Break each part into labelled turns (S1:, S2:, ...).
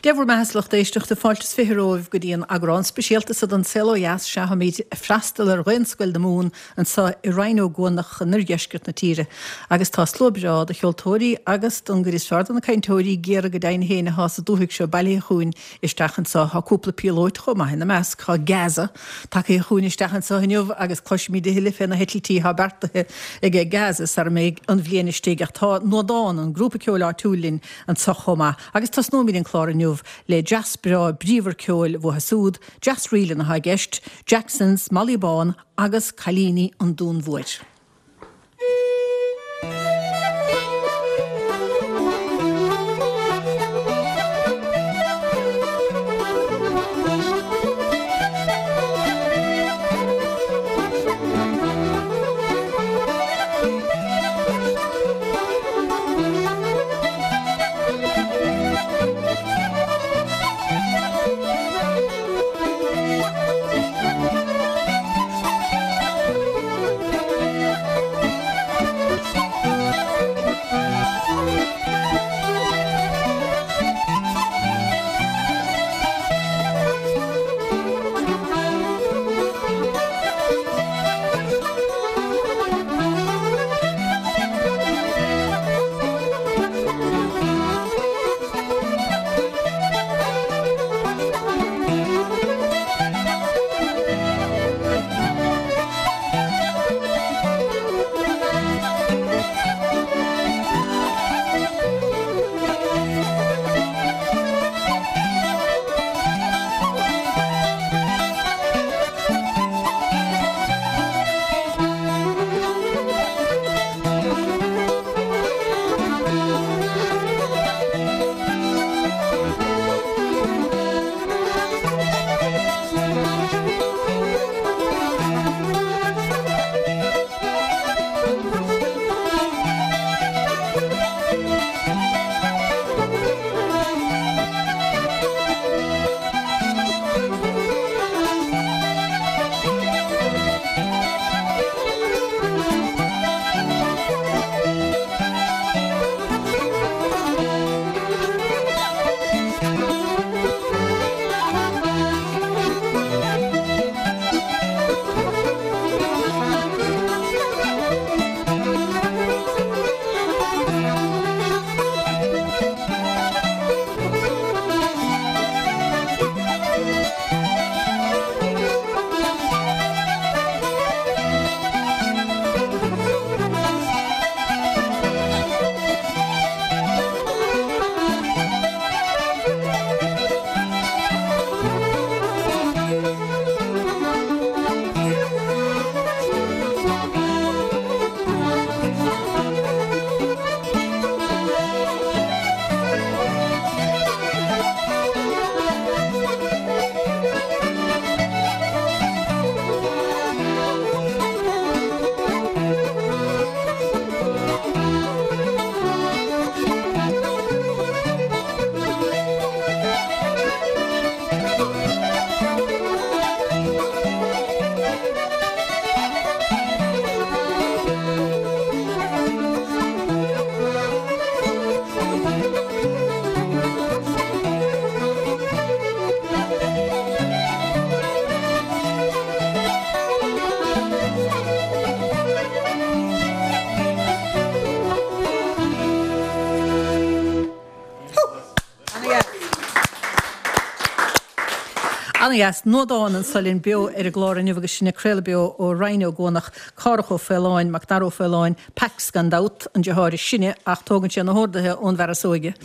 S1: Dé bhur mbeatha a lucht éisteachta, fáilte is 20 romhaibh go dtí an eagrán speisialta seo den Saol Ó Dheas. Sea, táimid ag freastal ar Dhaonscoil na Mumhan anseo i Rinn Ó gCuanach in oirdheisceart na tíre agus tá slua breá de cheoltóirí agus don gcuid is fearr de na cainteoirí ag iarraidh go deimhin féin atá sa dúthaigh seo bailithe chugainn isteach anseo. Tá cúpla píolóit chomh maith ina measc. Tá Gazza tagtha chugainn isteach anseo inniu agus cloisfimid a thuilleadh fé na heitiltí atá beartaithe aige Gazza sara mbeidh an bhliain istigh ach tá Nuadán, an grúpa ceoil áitiúil linn anseo chomh maith. Agus tosnóimid an clár inniu le dreas breá bríomhar ceoil uathu súd, dreas ríleanna atá i gceist, Jacksons, Molly Bán agus Cailíní an Dúin Mhóir. Ana-dheas. Nuadán anso linn beo ar an gclár inniu agus sinn ag craoladh beo ó Rinn Ó gCuanach, Cárthach Ó Faoláin, Macdara Ó Faoláin, Pax gan dabht, an deartháir is sine ach tógann sé na horduithe ón bhfear is óige.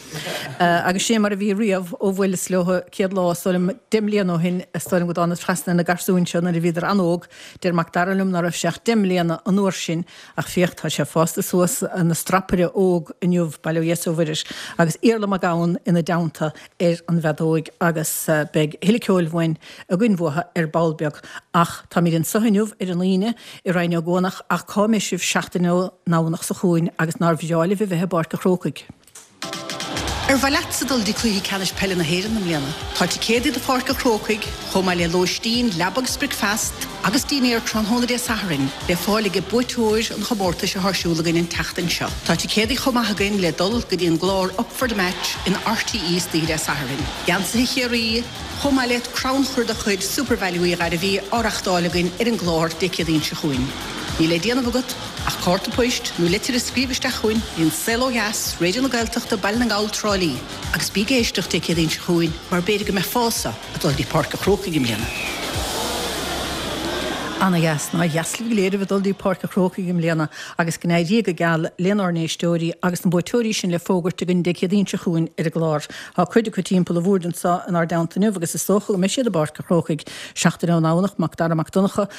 S1: Agus sin é mar a bhí riamh ó bhuaileas leo céad lá, is dóigh liom, 10 mbliana ó shin, is dóigh liom go dtánas trasna ar na garsúin seo nuair a bhíodar an-óg. Deir Macdara liom ná raibh sé ach 10 mbliana an uair sin ach féach tá sé fásta suas ina strapaire óg inniu, bail ó Dhia is ó Mhuire air, agus Iarla Mac Gabhann ina dteannta ar an bhfeadóig agus beidh a thuilleadh ceoil uainn againn uathu ar ball beag. Ach táimid anseo inniu ar an Aoine i Rinn Ó gCuanach ach cá mbeidh sibh seachtain ón nDomhnach seo chugainn agus nár bhreá libh a bheith i bPáirc a' Chrócaigh? Ar mhaith leatsa dul dtí Cluiche Ceannais Peile na hÉireann i mbliana? Tá ticéadaí do Pháirc an Chrócaigh, chomh maith le lóistín, leaba agus bricfeast, agus dinnéar tráthnóna Dé Sathairn le fáil ag buaiteoir an chomórtais atá ar siúl againn an tseachtain seo. Tá ticéadaí chomh maith againn le dul go dtí an gclár Up for the Match in RTÉ istoíche Dé Sathairn. Geansaithe Chiarraí, chomh maith le crannchur de chuid Supervalu Uí Ghairbhí á reachtáil againn ar an gclár Dé Céadaoin seo chugainn. Níl le déanamh agat ach cárta poist nó litir a scríobh isteach chugainn go dtí An Saol Ó Dheas, Raidió na Gaeltachta, Baile na nGall, Trá Lí. Agus bí ag éisteacht Dé Céadaoin seo chugainn mar b'fhéidir go mbeifeása ag dul dtí Páirc an Chrócaigh i mbliana. Ana dheas. Nár dheas libh go léir a bheith ag dul dtí Páirc an Chrócaigh i mbliana agus go n-éirí go geal lenár n-éisteoirí agus na buaiteoirí sin le fógairt againn Dé Céadaoin seo chugainn ar an gclár. Tá cuid acu timpeall an bhoird anseo inár dteannta inniu agus is dócha go mbeidh siad i bPáirc an Chrócaigh seachtain ón nDomhnach, Mac Dara Mac Donncha,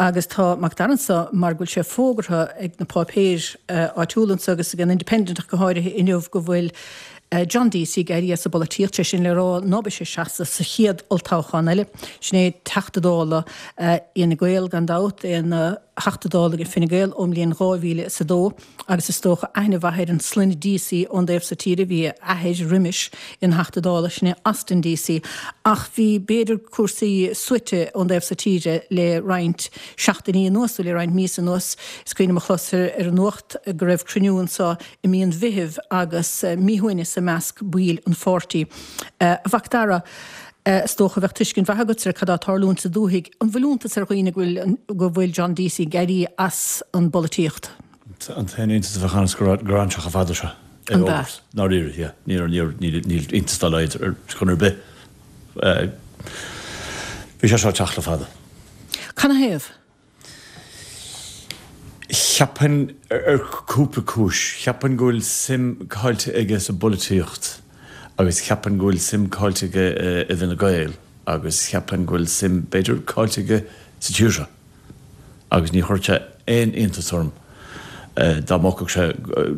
S1: Agus tá Mac Dara anseo mar go bhfuil sé fógartha ag na páipéir áitiúla anseo agus ag an Independent ach go háirithe inniu go bhfuil John Deasy ag éirí as an bpolaitíocht, sé sin le rá ná beidh sé ag seasamh sa chéad olltoghchán eile. Sin é Teachta Dála Fhine Gael gan dabht, é ina Theachta Dála ag Fine Gael ón mbliain 2002. Agus is dócha aithne mhaith ar an sloinne Deasy ón dtaobh so tíre, bhí a athair roimis ina Theachta Dála, sin é Austin Deasy. Ach bhí, b'fhéidir, cúrsaí suaite ón dtaobh so tíre le roinnt seachtainí anuas, nó le roinnt míosa anuas. Is cuimhin liom a chlos ar an nuacht go raibh cruinniú anseo i mí an Mheithimh agus míshuaimhneas i measc baill an pháirtí. A Mhac Dara, is dócha bheadh tuiscint mhaith agatsa ar cad tá ag tarlúint sa dúthaigh. An bhfuil iontas ar dhaoine go bhfuil go bhfuil John Deasy ag éirí as an bpolaitíocht?
S2: An t-aon iontas a bheadh ann is gur fhan sé chomh fada seo
S1: é An b'ea?
S2: Ndáiríre, yeah. Níl níl iontas dá laghad ar chor ar bith. Bhí sé seo ag teacht le fada.
S1: Canathaobh?
S2: Cheapfainn, ar cúpla cúis. Cheapfainn go bhfuil suim caillte aige sa bpolaitíocht agus cheapfainn go bhfuil suim caillte aige i bhFine Gael agus cheapfainn go bhfuil suim, b'fhéidir, caillte aige sa tír seo. Agus ní chuirfeadh sé aon iontas orm dá mbogfadh sé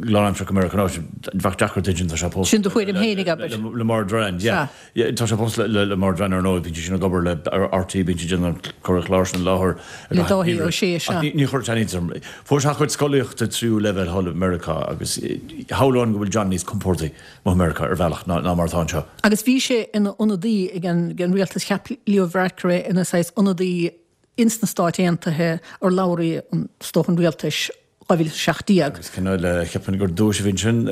S2: lánaimseartha go Meiriceá. Bheadh deacair d'insint, tá sé
S1: pósta. Sin do thuairim féinig, abair.
S2: Le Maura Derrane, yeah. Tá sé pósta le Maura Derrane ar ndóigh, bíonn sí sin ag obair le RTÉ, bíonn sí ag déanamh cur an chláir sin i láthair.
S1: Le Dáithí Ó Sé, sea.
S2: Ach ní chuirfeadh sé aon iontas orm. Fuair sé a chuid scolaíochta tríú leibhéal thall i Meiriceá agus shamhlóinn go bhfuil John níos compórdaí amuigh i Meiriceá ar bhealach ná mar atá anseo.
S1: Agus bhí sé ina ionadaí ag an rialtas, cheap Leo Varadkar é ina saghas ionadaí ins na Stáit Aontaithe, urlabhraí is dócha an rialtais, 2017.
S2: Agus cineál, cheapfainn gur duais a bhí ansin,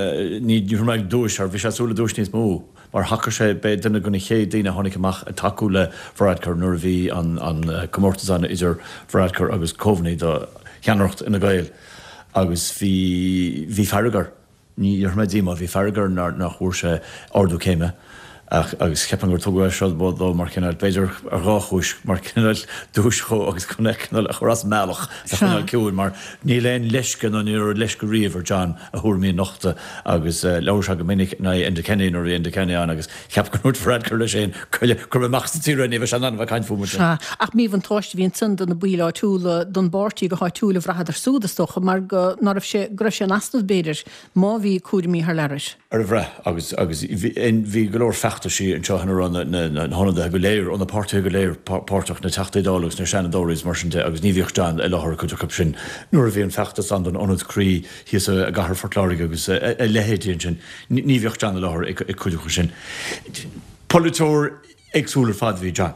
S2: ní raibh mé ag duais, bhí sé ag súil le duais níos mó, mar thacaigh sé, b'é duine de na chéad daoine a tháinig amach ag tacú le Varadkar nuair a bhí an comórtas ann idir Varadkar agus Coveney do cheannaireacht Fhine Gael agus bhí, bhí fearg air. Ní déarfaidh mé díomá, bhí fearg air nach bhfuair sé ardú céime ach agus cheapfainn gur tugadh é seo dó mar chineál, b'fhéidir ar dhá chúis, mar chineál duais dhó agus chun é cineál a chur as an mbealach, a choinneáil ciúin mar níl aon leisce nó ní raibh leisce riamh ar John a thuairimí a nochtadh agus labhair sé go minic in aghaidh Enda Kenny nuair a bhí Enda Kenny ann agus cheap go ndúirt Varadkar leis féin cuir amach as an tír é ní bheidh sé in ann a bheith ag caint fúm
S1: ansin. Sea, ach míbhuntáiste a bhí ansan do na baill áitiúla, don bpáirtí go háitiúil a bhraitheadar súd, is dócha, mar go, ná raibh sé, go raibh sé in easnamh, b'fhéidir, má bhí cúraimí thar lear air.
S2: Ar a bhrath, agus, agus bhí, bhí go leor feachtaisí anseo ina raibh na, na, na hionadaithe go léir, ó na páirtithe go léir páirteach, na Teachtaí Dála agus na Seanadóirí agus mar sin de, agus ní bhíodh John i láthair cuid acu sin nuair a bhí an feachtas ann don Ionad Croí thíos i gcathair Phort Láirge agus a leithéidí ansin. Ní bhíodh John i láthair ag cuid acu sin. Polaiteoir éagsúil ar fad a bhí John.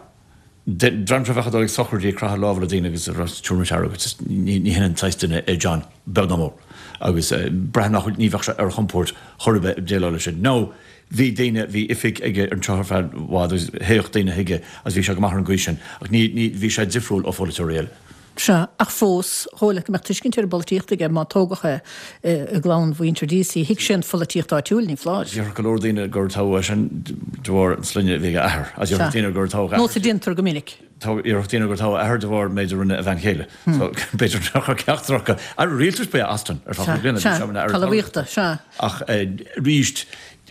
S2: Dream seo a bheadh ag dul ag sochraidí ag croitheadh lámha le daoine agus ag rá tabhair muid aire duit. Ní hin an saghas duine é John, beag ná mór. Agus braithim nach bhfuil, ní bheadh sé ar a chompord chor ar bith ag déileáil leis sin. Now, bhí daoine, bhí oifig aige anseo ar feadh i bhfad agus théadh daoine chuige agus bhí sé go maith ar an gcaoi sin. Ach ní, ní, bhí sé difriúil ó pholaiteoirí eile.
S1: Sea, ach fós, dhóigh leat go mbeadh tuiscint ar an bpolaitíocht aige má tógadh é i gclann mhuintir Deasy. Thuig sé an pholaitíocht áitiúil, ní foláir.
S2: Déarfadh go leor daoine gur toghadh é sin de bharr an sloinne a bhí ag a athair. Agus déarfadh daoine gur toghadh a
S1: athair. Nós a déantar go minic.
S2: Déarfadh daoine gur toghadh a athair de bharr an méid a rinne a bhean chéile. So, b'fhéidir nach raibh ceachtar acu. Aire Rialtais ba ea Austin ar feadh chúig bliana.
S1: Sea, sea, talmhaíochta, sea.
S2: Ach arís,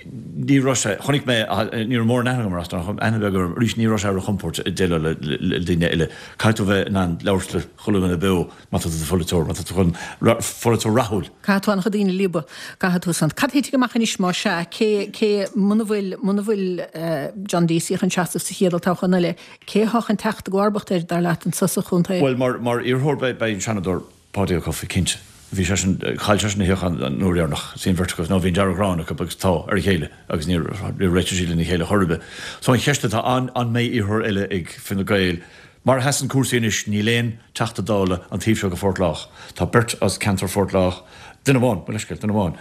S2: ní raibh sé, chonaic mé, ní raibh mórán aithne agam ar Austin ach aithne bheag orm, arís ní raibh sé ar a chompord ag déileáil le daoine eile. Caithfidh tú a bheith in ann labhairt le chuile dhuine beo má tá tú i do pholaiteoir, má tá tú chun, pholaiteoir rathúil.
S1: Caithfidh tú an-chuid daoine a líobadh, caithfidh tú san. Cad a thitfidh amach anois má sea, cé, cé, muna bhfuil, muna bhfuil John Deasy chun seasamh sa chéad olltoghchán eile, cé athá chun teacht i gcomharbacht air, dar leat, anso sa chontae?
S2: Bhuel, mar, mar iarrthóir beidh, beidh an Seanadóir Paudie Ó Cofaigh, cinnte. Bhí seisean, chaill seisean a shuíochán an uair dheireanach, bhí an bheirt acu, nó bhí an dearg-ghráin acu agus tá, ar a chéile agus níor réitigh siad lena chéile chor ar bith. So an cheist atá ann, an mbeidh iarrthóir eile ag Fine Gael? Mar a sheasann cúrsaí anois, níl aon Teachta Dála an taobh seo de Phort Lách. Tá beirt as ceantar Phort Lách, duine amháin, mo leithscéal, duine amháin,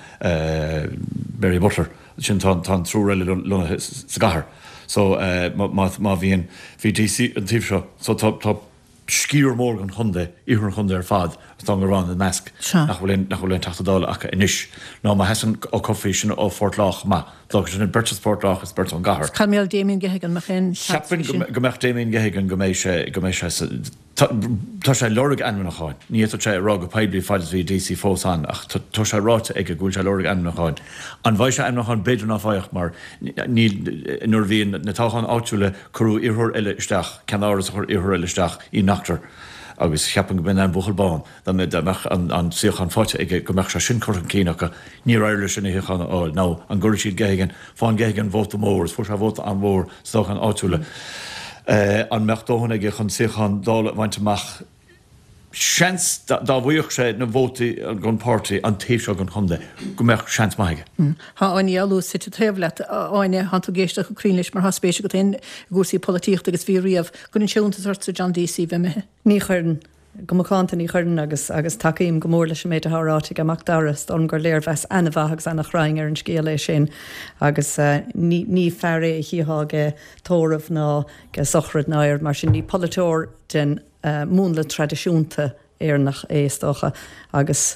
S2: Mary Butler, ansin tá an triúr eile lonnaithe sa gcathair. So má bhíonn, bhí Deasy an taobh seo, so tá, tá sciar mór den chontae, iarthar an chontae ar fad, agus Dún Garbhán ina measc, nach bhfuil aon, nach bhfuil aon Teachta Dála acu anois. Nó má sheasann Ó Cofaigh, sin ó Phort Lách chomh maith, d'fhágfadh sin beirt as Port Lách is beirt ón gcathair.
S1: Cad mar gheall Damien Geoghegan, mbeadh aon
S2: seans aige sin? Cheapfainn go mbeadh Damien Geoghegan, go mbeidh sé, go mbeidh sé sa, tá, tá sé ag lorg ainmniúcháin. Ní fhéadfadh sé a rá go poiblí fad is a bhí Deasy fós ann ach tá, tá sé ráite aige go bhfuil sé ag lorg ainmniúcháin. An bhfaighidh sé ainmniúchán? B'fhéidir ná faigheadh mar níl, nuair a bhí na toghcháin áitiúla, Cuireadh iarrthóir eile isteach, ceannáras a chuir iarrthóir eile isteach, Ian Noctor, agus cheapfainn go mb'in an buachaill bán, dá mbeadh an suíochán faighte aige, go mbeadh sé sin curtha chun cinn acu. Níor éirigh leis sin a shuíochán a fháil. Now, an gcuirfidh siad Geoghegan? Faigheann Geoghegan vóta mór, is fuair sé vóta an-mhór sa toghchán áitiúla. An mbeadh dóthain aige chun suíochán Dála a bhaint amach? Seans, dá bhfaigheadh sé na vótaí don pháirtí an taobh seo den chontae, go mbeadh seans maith
S1: aige. Tá Áine Ní Fhoghlú suite taobh leat. A Áine, tánn tú ag éisteacht go cruinn leis mar tá spéis agat féin i gcúrsaí polaitíochta agus bhí riamh. Cuireann sé iontas ortsa John Deasy bheith imithe?
S3: Ní chuireann. Go macánta ní chuireann agus agus tacaím go mór leis an méid atá ráite ag Macdara. Is dóigh liom gur léirmheas ana-mhaith agus ana-chruinn ar an scéal é sin agus ní ní fear é a chífeá ag tórramh ná ag sochraid ná aon rud mar sin. Ní polaiteoir den múnla traidisiúnta Éireannach é, is dócha, agus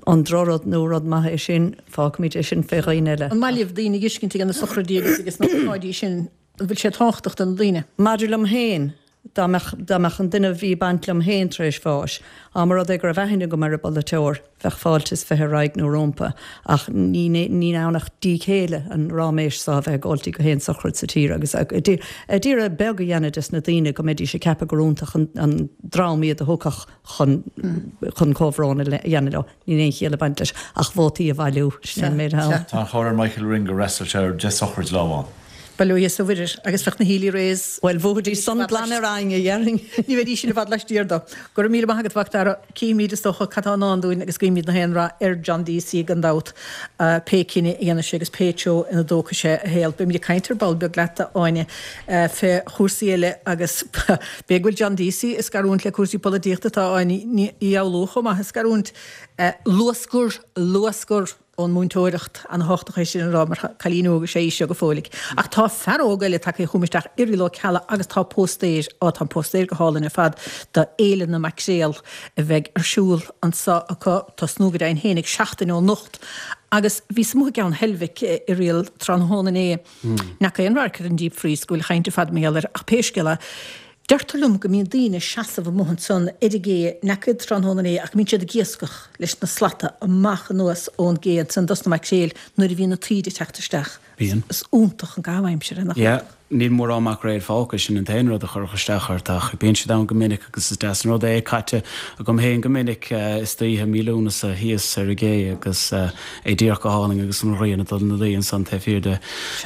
S3: an drochrud nó rud maith é sin, fágfaimid é sin fé dhaoine eile.
S1: An maith libh daoine a fheiscint ag na sochraidí agus ag na hócáidí sin? An bhfuil sé tábhachtach do na daoine?
S3: Maidir liom féin, dá mbeadh, dá mbeadh an duine a bhí ag baint liom féin tar éis bháis, dá mba rud é go raibh aithne agam ar an bpolaiteoir, Bheadh fáilte is 20 ar aghaidh nó rómpa, ach ní ann ach díth céille an ráiméis so a bheith ag gabháiltí go haon sochraid sa tír agus ag iarraidh beag a dhéanamh des na daoine go mbeidís ag ceapadh gur iontach an dream iad a thiocfadh chun chun comhbhrón a dhéanamh leo. Níl aon chiall ag baint leis ach vótaí a bhailiú, sin é an méid atá
S2: ann. Tá an cháil ar Michael Ring gur fhreastail sé ar 10 sochraid lá amháin.
S1: Bail ó Dhia is a Mhuire agus bheadh na Healy-Raes.
S3: Bhuel, bhuafaidís san glan ar aghaidh, a dhéarfainn.
S1: Ní bheidís sin i bhfad laistiar dó. Go raibh míle maith agat, a Mhacdara. Cífimid, is dócha, cad tá i ndán dúinn agus guímid na haon rath ar John Deasy gan dabht, pé cinneadh a dhéanfaidh sé agus pé treo ina dtógfaidh sé a shaol. Beimid ag caint ar ball beag leat, a Áine, fé chúrsaí eile agus b'fhéidir go bhfuil John Deasy ag scarúint le cúrsaí polaitíochta, tá Áine Ní Fhoghlú chomh maith ag scarúint. Luathscor! Luathscor! ón múinteoireacht, ana-thábhachtach é sin a rá mar cailín óg is ea í seo go fóilligh. Ach tá fear óg eile tagtha chugam isteach, Irial Ó Ceallaigh, agus tá póstaer, á tá an póstaer go hálainn ar fad, do Fhéile na Maicréal a bheidh ar siúl anso acu, tosnú go deimhin fhéinig seachtain ó anocht. Agus bhíos amuigh i gCeann Heilbhic, Irial, tráthnóna inné. N'fheaca aon radharc ar an Deep Freeze go bhfuil chaint ar fad mar gheall air, ach pé scéal é, Deirtear liom go mbíonn daoine ag seasamh amuigh ansan ar an gcé, n'fheaca iad tráthnóna inné ach go mbíonn siad ag iascach leis na slata amach anuas ón gcé ansan dos na maicréil nuair a bhíonn an taoide ag teacht isteach.
S4: Bíonn.
S1: Is iontach an caitheamh aimsire, nach
S4: Yeah. iontach? Níl mórán maicréil fágtha, sin an t-aon rud a chuirfeadh isteach ort ach bíonn siad ann go minic agus is deas an rud é, caite agam féin go minic istoíche mí Lúnasa thíos ar an gcé agus é díreach go hálainn agus an ghrian ag dul ina luí ansan taobh thiar de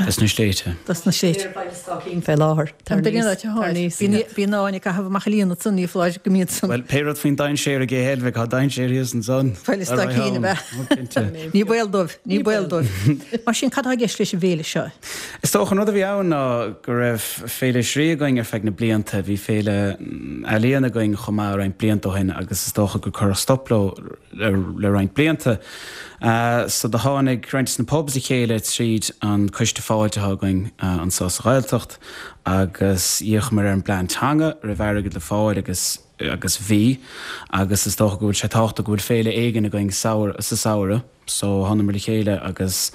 S4: des na sléibhte.
S1: Dos na sléibhte.
S3: Ar Bhaile Stáicín fé láthair.
S1: Tar aníos. Tar aníos. Bíonn Áine ag caitheamh amach an líon ansan, ní foláir go mbíonn
S4: san. Bhuel, pé rud faoin dainséar i gCé Heilbhic, tá dainséar thíos ansan.
S1: Baile Stáicín ab ea? Ní baol dóibh, ní baol dóibh. Mar sin, cad atá i gceist leis an bhféile seo?
S4: Is dócha an rud a bhí ann ná go raibh Féile Thrí againn ar feadh na blianta. Bhí féile ealaíon againn chomh maith roinnt blianta ó shin agus is dócha gur cuireadh stop leo le roinnt blianta. So do tháinig roinnt de na pubs le chéile tríd an coiste fáilte atá againn anseo sa Ghaeltacht agus d'fhéachamar ar an bplean teanga, raibh airgead le fáil agus agus bhí agus is dócha go bhfuil sé tábhachtach go bhfuil féile éigin againn sa samhradh. So thánamar le chéile agus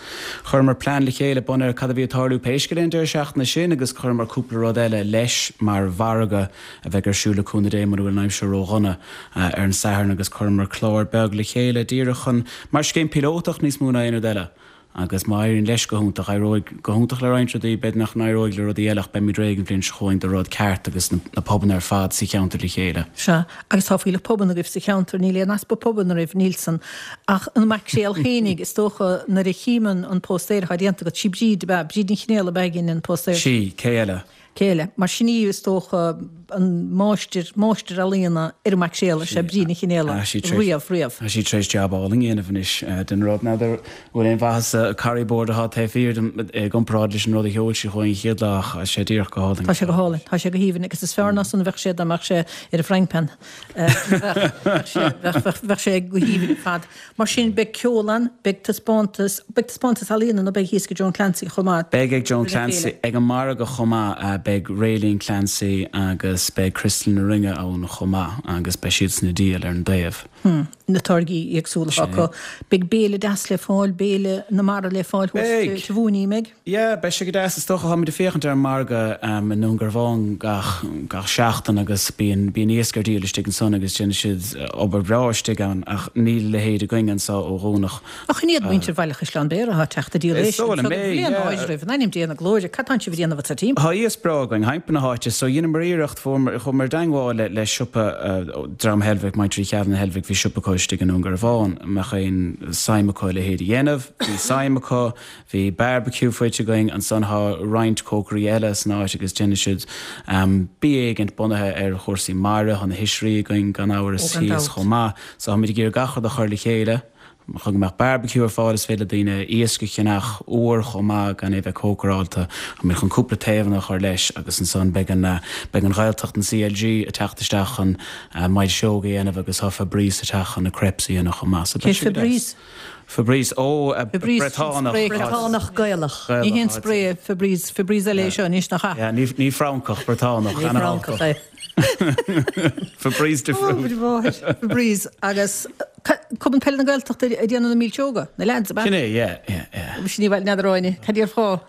S4: chuireamar plean le chéile bunaithe ar cad a bhí ag tarlú pé scéal é an deireadh seachtaine sin agus chuireamar cúpla rud eile leis mar mhargadh a bheidh ar siúl le cúnamh Dé mura bhfuil an aimsir ró-dhona ar an Satharn agus chuireamar clár beag le chéile díreach chun, mar scéim píolótach níos mó ná aon rud eile agus má éiríonn leis go hiontach, éireoidh go hiontach le roinnt rudaí, b'fhéidir nach n-éireoidh le rudaí eile ach beimid réidh an bhliain seo chugainn do rud ceart agus na pubanna ar fad sa cheantar le chéile.
S1: Sea, agus tá fuílleach pubanna agaibh sa cheantar, níl aon easpa pubanna oraibh, níl san. Ach an maicréal fhéinig, is dócha, nuair a chím an póstaer atá déanta agat, sí Bríd ab ea, Bríd Ní Chinéal ab ea a dhein an póstaer.
S4: Sí, cé eile?
S1: Cé eile? Mar sin í, is dócha. an máistir, máistir ealaíona ar an maicréal is ea Bríd Ní Chionfhaola, riamh, riamh.
S4: Tá sí tar éis jab álainn a dhéanamh anois den rud. N'fheadar an bhfuil aon mhaitheas sa curry board atá taobh thiar dom i gcomparáid leis an rud a sheol sí chugainn an chéad lá ach tá sé díreach go hálainn.
S1: Tá sé go hálainn, tá sé go haoibhinn agus is fearr ná san a bheadh sé dá mbeadh sé ar an frying pan. Bheadh sé, bheadh, bheadh, bheadh sé go haoibhinn ar fad. Mar sin, beidh ceol ann, beidh taispeántas, beidh taispeántas ealaíona nó beidh thíos ag Joan Clancy chomh maith.
S4: Beidh ag Joan Clancy, ag an margadh chomh maith, beidh Rayleen Clancy agus beidh Crystal na Ringe ann chomh maith agus beidh siadsan ag díol ar an dtaobh.
S1: Hmm, na táirgí éagsúla acu. Beidh béile deas le fáil, béile na mara le fáil thuas sa Mhóinín,
S4: mbeidh? Yeah, beidh sé go deas. Is dócha, táimid ag féachaint ar an margadh i nDún Garbhán gach, gach seachtain agus bíonn, bíonn iasc ar díol istigh ansan agus déanann siad obair bhreá istigh ann ach níl a leithéid againn anso ó Dhomhnach.
S1: Ach an iad muintir Bhaile Chaisleáin Bhéarra atá ag teacht ag díol
S4: éisc anso go bhfuil aon
S1: áireamh, in ainm Dé na glóire, cad tánn sibh a dhéanamh sa
S4: timpeall? Tá iasc breá againn thimpeall na háite so dheineamar iarracht, fuaireamar, chuamar i dteangmháil le, le siopa dream Heilbhic, muintir Uí Cheallaigh na Heilbhic, bhí siopa acu istigh i nDún Garbhán, an mbeadh aon suim acu a leithéid a dhéanamh, bhí suim acu. Bhí barbecue faighte againn ansan, thá roinnt cócairí eile san áit agus déanann siad bia éigint bunaithe ar chúrsaí mara, thá na hoisrí againn gan amhras thíos chomh maith. So tháimid ag iarraidh gach rud a chur le chéile chun go mbeadh barbecue ar fáil, is féidir le daoine iasc a cheannach úr chomh maith gan é a bheith cócaráilte. Táimid chun cúpla taobhanna a chur leis agus ansan beidh an beidh an Ghaeltacht, an CLG, ag teacht isteach chun milseog a dhéanamh agus thá Fabrice ag teacht chun na crepes a dhéanamh chomh maith. So
S1: beidh sé go deas.
S4: Fabrice, ó, Briotánach.
S3: Briotánach Gaelach.
S1: Ní haon spraoi é Fabrice, Fabrice eile é seo anois, nach
S4: ea? Yeah, ní Francach, Briotánach.
S3: Ní Francach é.
S4: Fabrice de Fruit.
S1: Ó, mo mháthair. Fabrice, agus Cumann Peile na Gaeltachta ag déanamh na milseoga, na leaids, ab
S4: ea? Sin é, yeah, yeah, yeah.
S1: Sin í, bhuel, n'fheadar Áine, cad déarfá?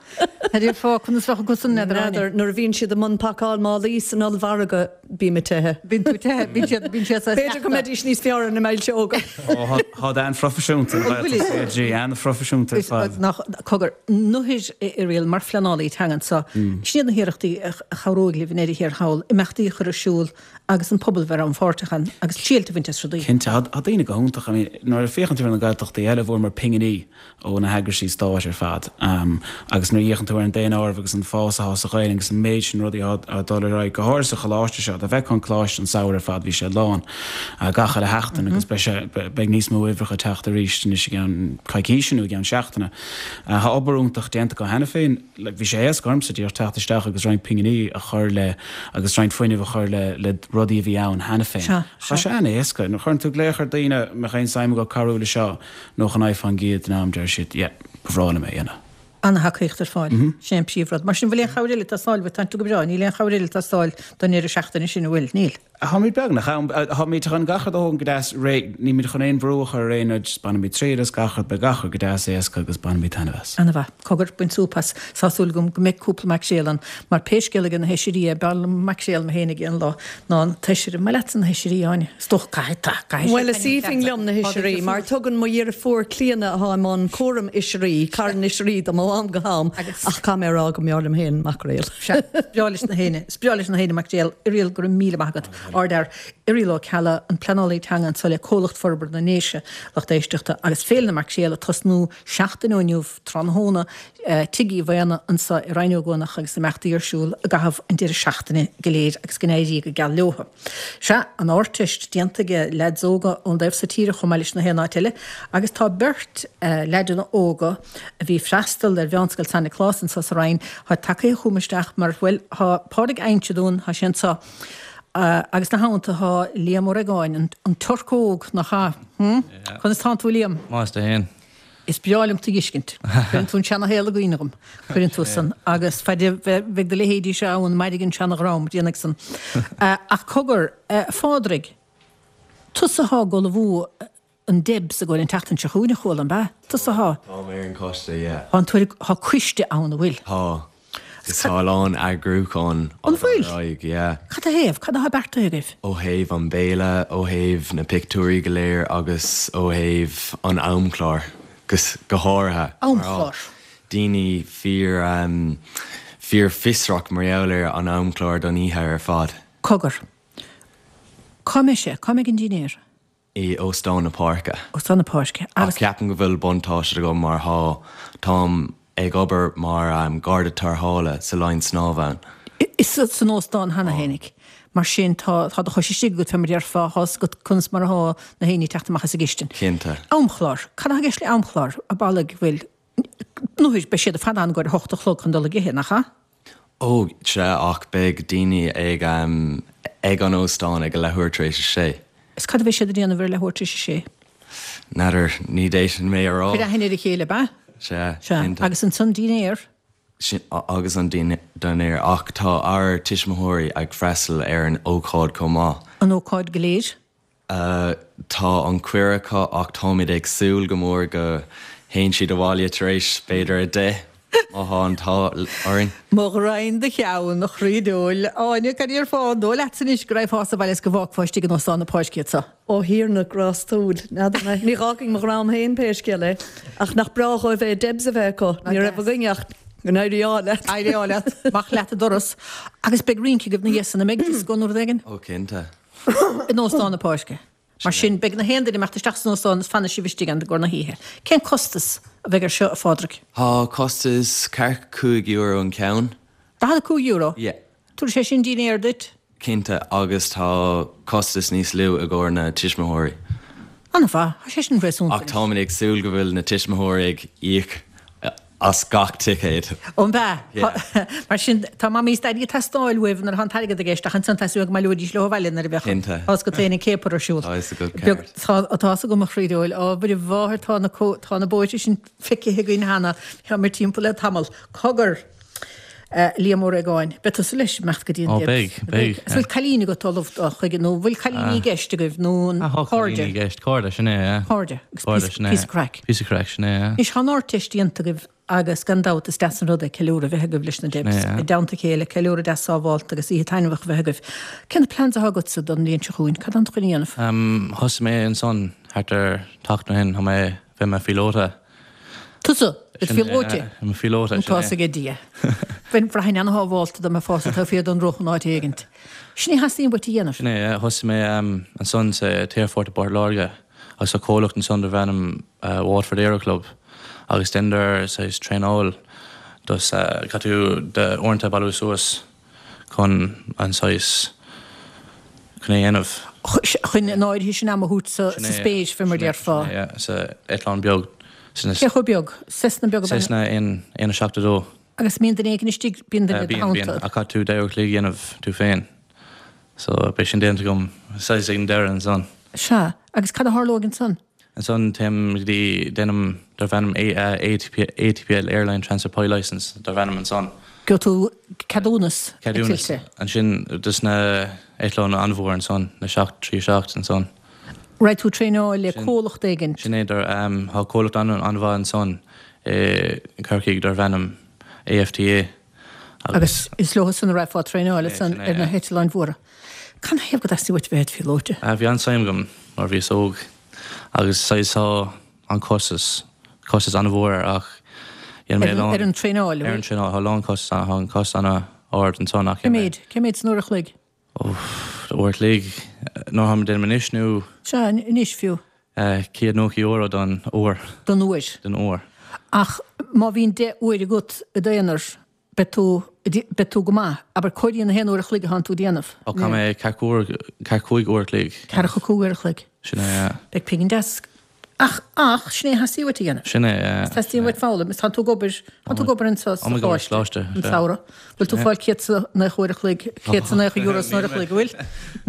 S1: Cad déarfá, conas bheadh acusan, n'fheadar Áine?
S3: N'fheadar, nuair a bhíonn siad i mbun pacáil málaí san ollmhargadh, Bím ag teitheadh.
S1: Bíonn tú ag teitheadh, bíonn siad, bíonn siad saghas
S3: B'fhéidir go mbeidís níos fearr ar na milseoga.
S4: Ó, táid an-phroifisiúnta, an Ghaeltacht CLG, an-phroifisiúnta ar fad.
S1: Nach, cogar, nuair a Irial, mar phleanálaí teanga anseo, sin iad na hiarrachtaí a chabhróidh libh i ndeireadh thiar thall, imeachtaí a chur ar siúl agus an pobal bheith rannpháirteach ann agus triail a bhaint as rudaí.
S4: Cinnte, tá daoine go hiontach. I mean, nuair a féachann tú ar na Gaeltachtaí eile, bhfuaireamar pinginí ó na heagraisí stáit ar fad. Agus nuair a fhéachann tú ar an daonáireamh agus an fás atá sa Ghaelainn agus an méid sin rudaí atá ag dul ar aghaidh, go háirithe sa choláiste seo, dá bhfeicfeá an coláiste an samhradh ar fad, bhí sé lán gach uile sheachtain agus beidh sé, beidh níos mó uimhreacha ag teacht arís anois i gceann coicíse nó i gceann seachtaine. Tá obair iontach déanta acu cheana féin. Bhí sé éasca ormsa díreach teacht isteach agus roinnt pinginí a chur le agus roinnt fuinnimh a chur le le rudaí a bhí ann cheana féin. Tá sé an-éasca. Nuair a chuireann tú glaoch ar daoine, an mbeadh aon suim acu cabhrú le seo, 99% den am deir siad yeah, ba bhreá liom é a dhéanamh.
S1: Ana-thacaíocht ar fáil. Sin é an príomhrud. Mar sin, bhfuil aon chabhair eile ag teastáil uait? Tánn tú go breá. Níl aon chabhair eile ag teastáil don ndeireadh seachtaine sin, an bhfuil? Níl.
S4: Táimid beagnach ann. Táimid chun gach rud a thógaint go deas réidh. Nílimid chun aon bhrú a chur ar aon rud. Just bainfimid triail as gach rud. Beidh gach rud go deas éasca agus bainfimid taitneamh as.
S1: Ana-mhaith. Cogar, bain súp as. Tá súil agam go mbeidh cúpla maicréal ann, mar pé scéal aige na hoisrí é, b'fhearr liom maicréal mé féin ag aon lá ná an t-oisir. An maith leatsa na hoisrí, Áine? Is dócha, caithfidh, tá,
S3: caithfidh Bhuel, is aoibhinn liom na hoisrí, mar tugann mo dheirfiúr Clíona, atá i mbun cúram oisrí, carn oisrí dom ó am go ham, ach caithfidh mé a rá go mb'fhearr liom féin maicréal.
S1: Sea, is breá leis na héinne, is breá leis na héinne maicréal. Irial, go raibh míle maith agat. Ardfhear. Irial Ó Ceallaigh, an pleanálaí teanga anseo le Comhlucht Forbartha na nDéise, lucht éisteachta, agus Féile na Maicréal ag tosnú seachtain ó inniu, tráthnóna, Tigh Uí Mhaona anso i Rinn Ó gCuanach agus imeachtaí ar siúl i gcaitheamh an deireadh seachtaine go léir agus go n-éirí go geal leothu. Sea, an Ardteist déanta ag leaids óga ón dtaobh so tíre chomh maith leis na haon áit eile agus tá beirt leaideanna óga a bhí ag freastal ar Mheánscoil San Nioclás anso sa Rinn, thá tagaithe chugam isteach mar, bhuel, thá Pádraig Fhainge dúinn, thá sé anso agus 'na theannta thá Liam Ó Reagáin, an Turc óg, nach ea? Hm? Conas tánn tú a Liam?
S5: Maith is tú fhéin.
S1: Is breá liom tú dh'fheiscint. Cuireann tú an seana-shaol i gcuimhne dhom. Cuireann tú san. Agus faid a bheidh do leithéidí seo ann, mairfidh an seana-dhream, déanfaidh san. Ach cogar, a Phádraig, tusa athá ag ullmhú an Debs ag gabháil an tseachtain seo chugainn, a chuala, an ea? Tusa athá.
S5: Táim ar an choiste, yeah.
S1: Tá an tuairim, tá coiste ann, an bhfuil?
S5: Tá. Agus tá a lán eagrúchán
S1: á dul ar aghaidh,
S5: yeah.
S1: Cad a thaobh? Cad atá beartaithe agaibh?
S5: Ó thaobh an béile, ó thaobh na pictiúirí go léir agus ó thaobh an amchláir go háirithe.
S1: Amchlár.
S5: Daoine fíor, fíor fiosrach mar gheall ar an amchlár don oíche ar fad.
S1: Cogar. Cá mbeidh sé? Cá mbeidh an dinnéar?
S5: i Óstán na Páirce.
S1: Óstán na Páirce.
S5: Ach ceapaim go bhfuil buntáiste agam mar thá, táim ag obair mar garda tarrthála sa linn snámha ann.
S1: San óstán cheana fhéinig. Mar sin, tá, tá do chois istigh agat, fé mar a déarfá, tá fhios agat conas mar atá na héinne ag teacht amach as an gcistin.
S5: Cinnte.
S1: Amchlár. Cad atá i gceist le amchlár? An amhlaidh go bhfuil, nó beidh siad ar fad ann i gcomhair a hocht a chlog chun dul ag ithe, nach ea?
S5: Ó, sea, ach beidh daoine ag, ag an óstán ag a leathuair tar éis a sé.
S1: Is cad a bheidh siad ag déanamh ar a leathuair tar éis a sé?
S5: N'fheadar, ní d'fhéadfainn mé a rá.
S1: Cuir aithne ar a chéile, ab ea?
S5: Sea,
S1: Sea,
S5: cinnte.
S1: agus ansan dinnéar?
S5: Sin, agus an dinnéar, ach tá ár tuismitheoirí ag freastal ar an ócáid chomh maith.
S1: An ócáid go léir?
S5: Tá an cuireadh acu ach táimid ag súil go mór go théann siad abhaile tar éis b'fhéidir 10, má thá an t-ádh orainn.
S1: Mo ghraidhin do cheann, a chroí diabhail. Áine, cad déarfá, an dóigh leatsa anois go raghfá sa bhaile is go bhfágfá istigh in Óstán na Páirce iad so?
S3: Ó Thiarna grástúil, n'fheadar mé. Ní dh'fhágfainn mo dhream féin pé scéal é. Ach nach breá dhóibh é Debs a bheith acu. Ní raibh againn ach go n-éirí ádh leat.
S1: Éirí ádh leat. Amach leat an doras. Agus beidh rince agaibh ina dhiaidh san, an mbeidh dioscó nó rud éigin?
S5: Ó cinnte.
S1: in Óstán na Páirce. Mar sin, beidh na haon duine ag imeacht isteach san óstán is fanfaidh sibh istigh ann i gcomhair na hoíche. Cén costas a bheidh air seo, a Phádraig?
S5: Tá costas ceathracha €5 an ceann.
S1: €45?
S5: Yeah.
S1: Tabharfaidh sé sin dinnéar duit?
S5: Cinnte, agus tá costas níos lú i gcomhair na tuismitheoirí.
S1: An-mhaith, tá sé sin réasúnta
S5: Ach táimid ag súil go bhfuil na tuismitheoirí ag íoc as gach ticéad.
S1: Ó, an ea? Mar sin, tá Mamaí is Daidí ag teastáil uaibh nuair atá an t-airgead i gceist, ach ansan tá súil go mbaileoidís leo abhaile nuair a bheadh
S5: Cinnte.
S1: tá fhios agat féin an céapar ar siúl.
S5: Tá fhios agat ceart.
S1: Tá tá fhios agam a chroí diabhail. Á, Mhuire Mháthair, tá na tá na bóithre sin feicthe againn cheana. Táimid timpeall le tamall. Cogar! A Liam Ó Réagáin, beidh tusa leis ag imeacht go dtí an
S4: Ó,
S1: Debs?
S4: beidh, beidh.
S1: Is bhfuil cailín agat ullamh dul chuige nó bhfuil cailíní i gceist agaibh nó an
S4: Ah, tá
S1: cairde?
S4: cailíní i gceist, cairde, sin é, yeah.
S1: Cairde, agus
S4: Cairde,
S1: píosa
S4: sin é.
S1: píosa craic.
S4: Píosa craic, sin é, yeah.
S1: Anois, tá an Ardteist déanta agaibh agus gan dabht is deas an rud é ceiliúradh a bheith agaibh leis na Debs
S4: Sin é, yeah.
S1: i dteannta a chéile, ceiliúradh deas sábhálta agus oíche taitneamhach a bheith agaibh. Cé na plans atá agatsa don bhliain seo chugainn? Cad tá tú chun a dhéanamh?
S4: Um, thosaigh mé ansan thart ar tseachtain ó shin, tá mé, bheith i mo phíolóta.
S1: Tusa, i do phíolóta.
S4: I mo phíolóta,
S1: sin é. Tá fhios ag Dia. Bheinn bhraithfinn ana-shábhálta dá mbeifeása taobh thiar den roth in áit éigint. Sin é a theastaíonn uait a dhéanamh.
S4: Sin é, thosaigh mé ansan sa t-aerfort i bPort Láirge agus tá comhlacht ansan darbh ainm Waterford Aero Club agus deineadar saghas traenáil dos caithfidh tú d'uaireanta a bailiú suas. chun an saghas, chun é a dhéanamh.
S1: Chun an áirithe sin ama a thabhairt sa spéir, fé mar a déarfá.
S4: Sin é, sa eitleán beag.
S1: Cé chomh beag? Cessna beag ab ea?
S4: Cessna 172.
S1: Agus mbíonn duine éigin istigh, bíonn duine i do
S4: theannta? Bíonn, bíonn, ach caithfidh tú deich uair a chloig a dhéanamh tú féin. So beidh sin déanta agam saghas ag an deireadh ansan.
S1: Sea, agus cad a tharlóidh ansan?
S4: Ansan téim go dtí, déanaim darb ainm ATPL, Airline Transfer Pilot Licence, darb ainm ansan.
S1: Gheobhaidh tú ceadúnas
S4: Ceadúnas
S1: eitilte.
S4: ansin dos na eitleáin an-mhór ansan, na 737 ansan.
S1: Raghaidh tú traenáil le comhlacht éigin?
S4: Sin é, tá comhlacht an-mhaith ansan i gCorcaigh darb ainm AFTA
S1: agus. Agus is leo san a raghfá traenáil ansan ar na heitleáin mhóra. Canathaobh go dteastaigh uait bheith id phíolóta?
S4: Bhí an-suim agam nuair a bhíos óg agus saghas tá an costas, costas an-mhór air ach dhein mé a lán.
S1: Ar an traenáil,
S4: Ar an traenáil, tá a lán costas ann, tá an costas an-ard ansan ach
S1: Cé dhein mé. méid, cé méid san uair a chloig?
S4: Ó, uair a chloig, nuair atá mé déanamh anois nó?
S1: Sea, anois fiú.
S4: €190 don uair.
S1: Don uair.
S4: Don uair.
S1: Ach má bhíonn 10 uair agat i d'aonar, beidh tú, beidh tú go maith. Abair, comhairíonn na haon uair a chloig atánn tú ag déanamh.
S4: Ó, caithfidh mé ceathracha uair, ceathracha cúig uair a chloig.
S1: Ceathracha cúig uair a chloig.
S4: Sin é, yeah.
S1: Beidh pingin deas. Ach, ach, sin é a theastaíonn uait a dhéanamh.
S4: Sin é, yeah.
S1: Is teastaíonn uait foghlaim. Is tánn tú ag obair, tánn tú ag obair anseo sa
S4: Tá mé ag obair sa
S1: choláiste,
S4: choláiste,
S1: an
S4: sea.
S1: samhradh. Bhfuil tú ag fáil céad is a naocha uair a chloig, céad is a naocha euro san uair a chloig, an bhfuil?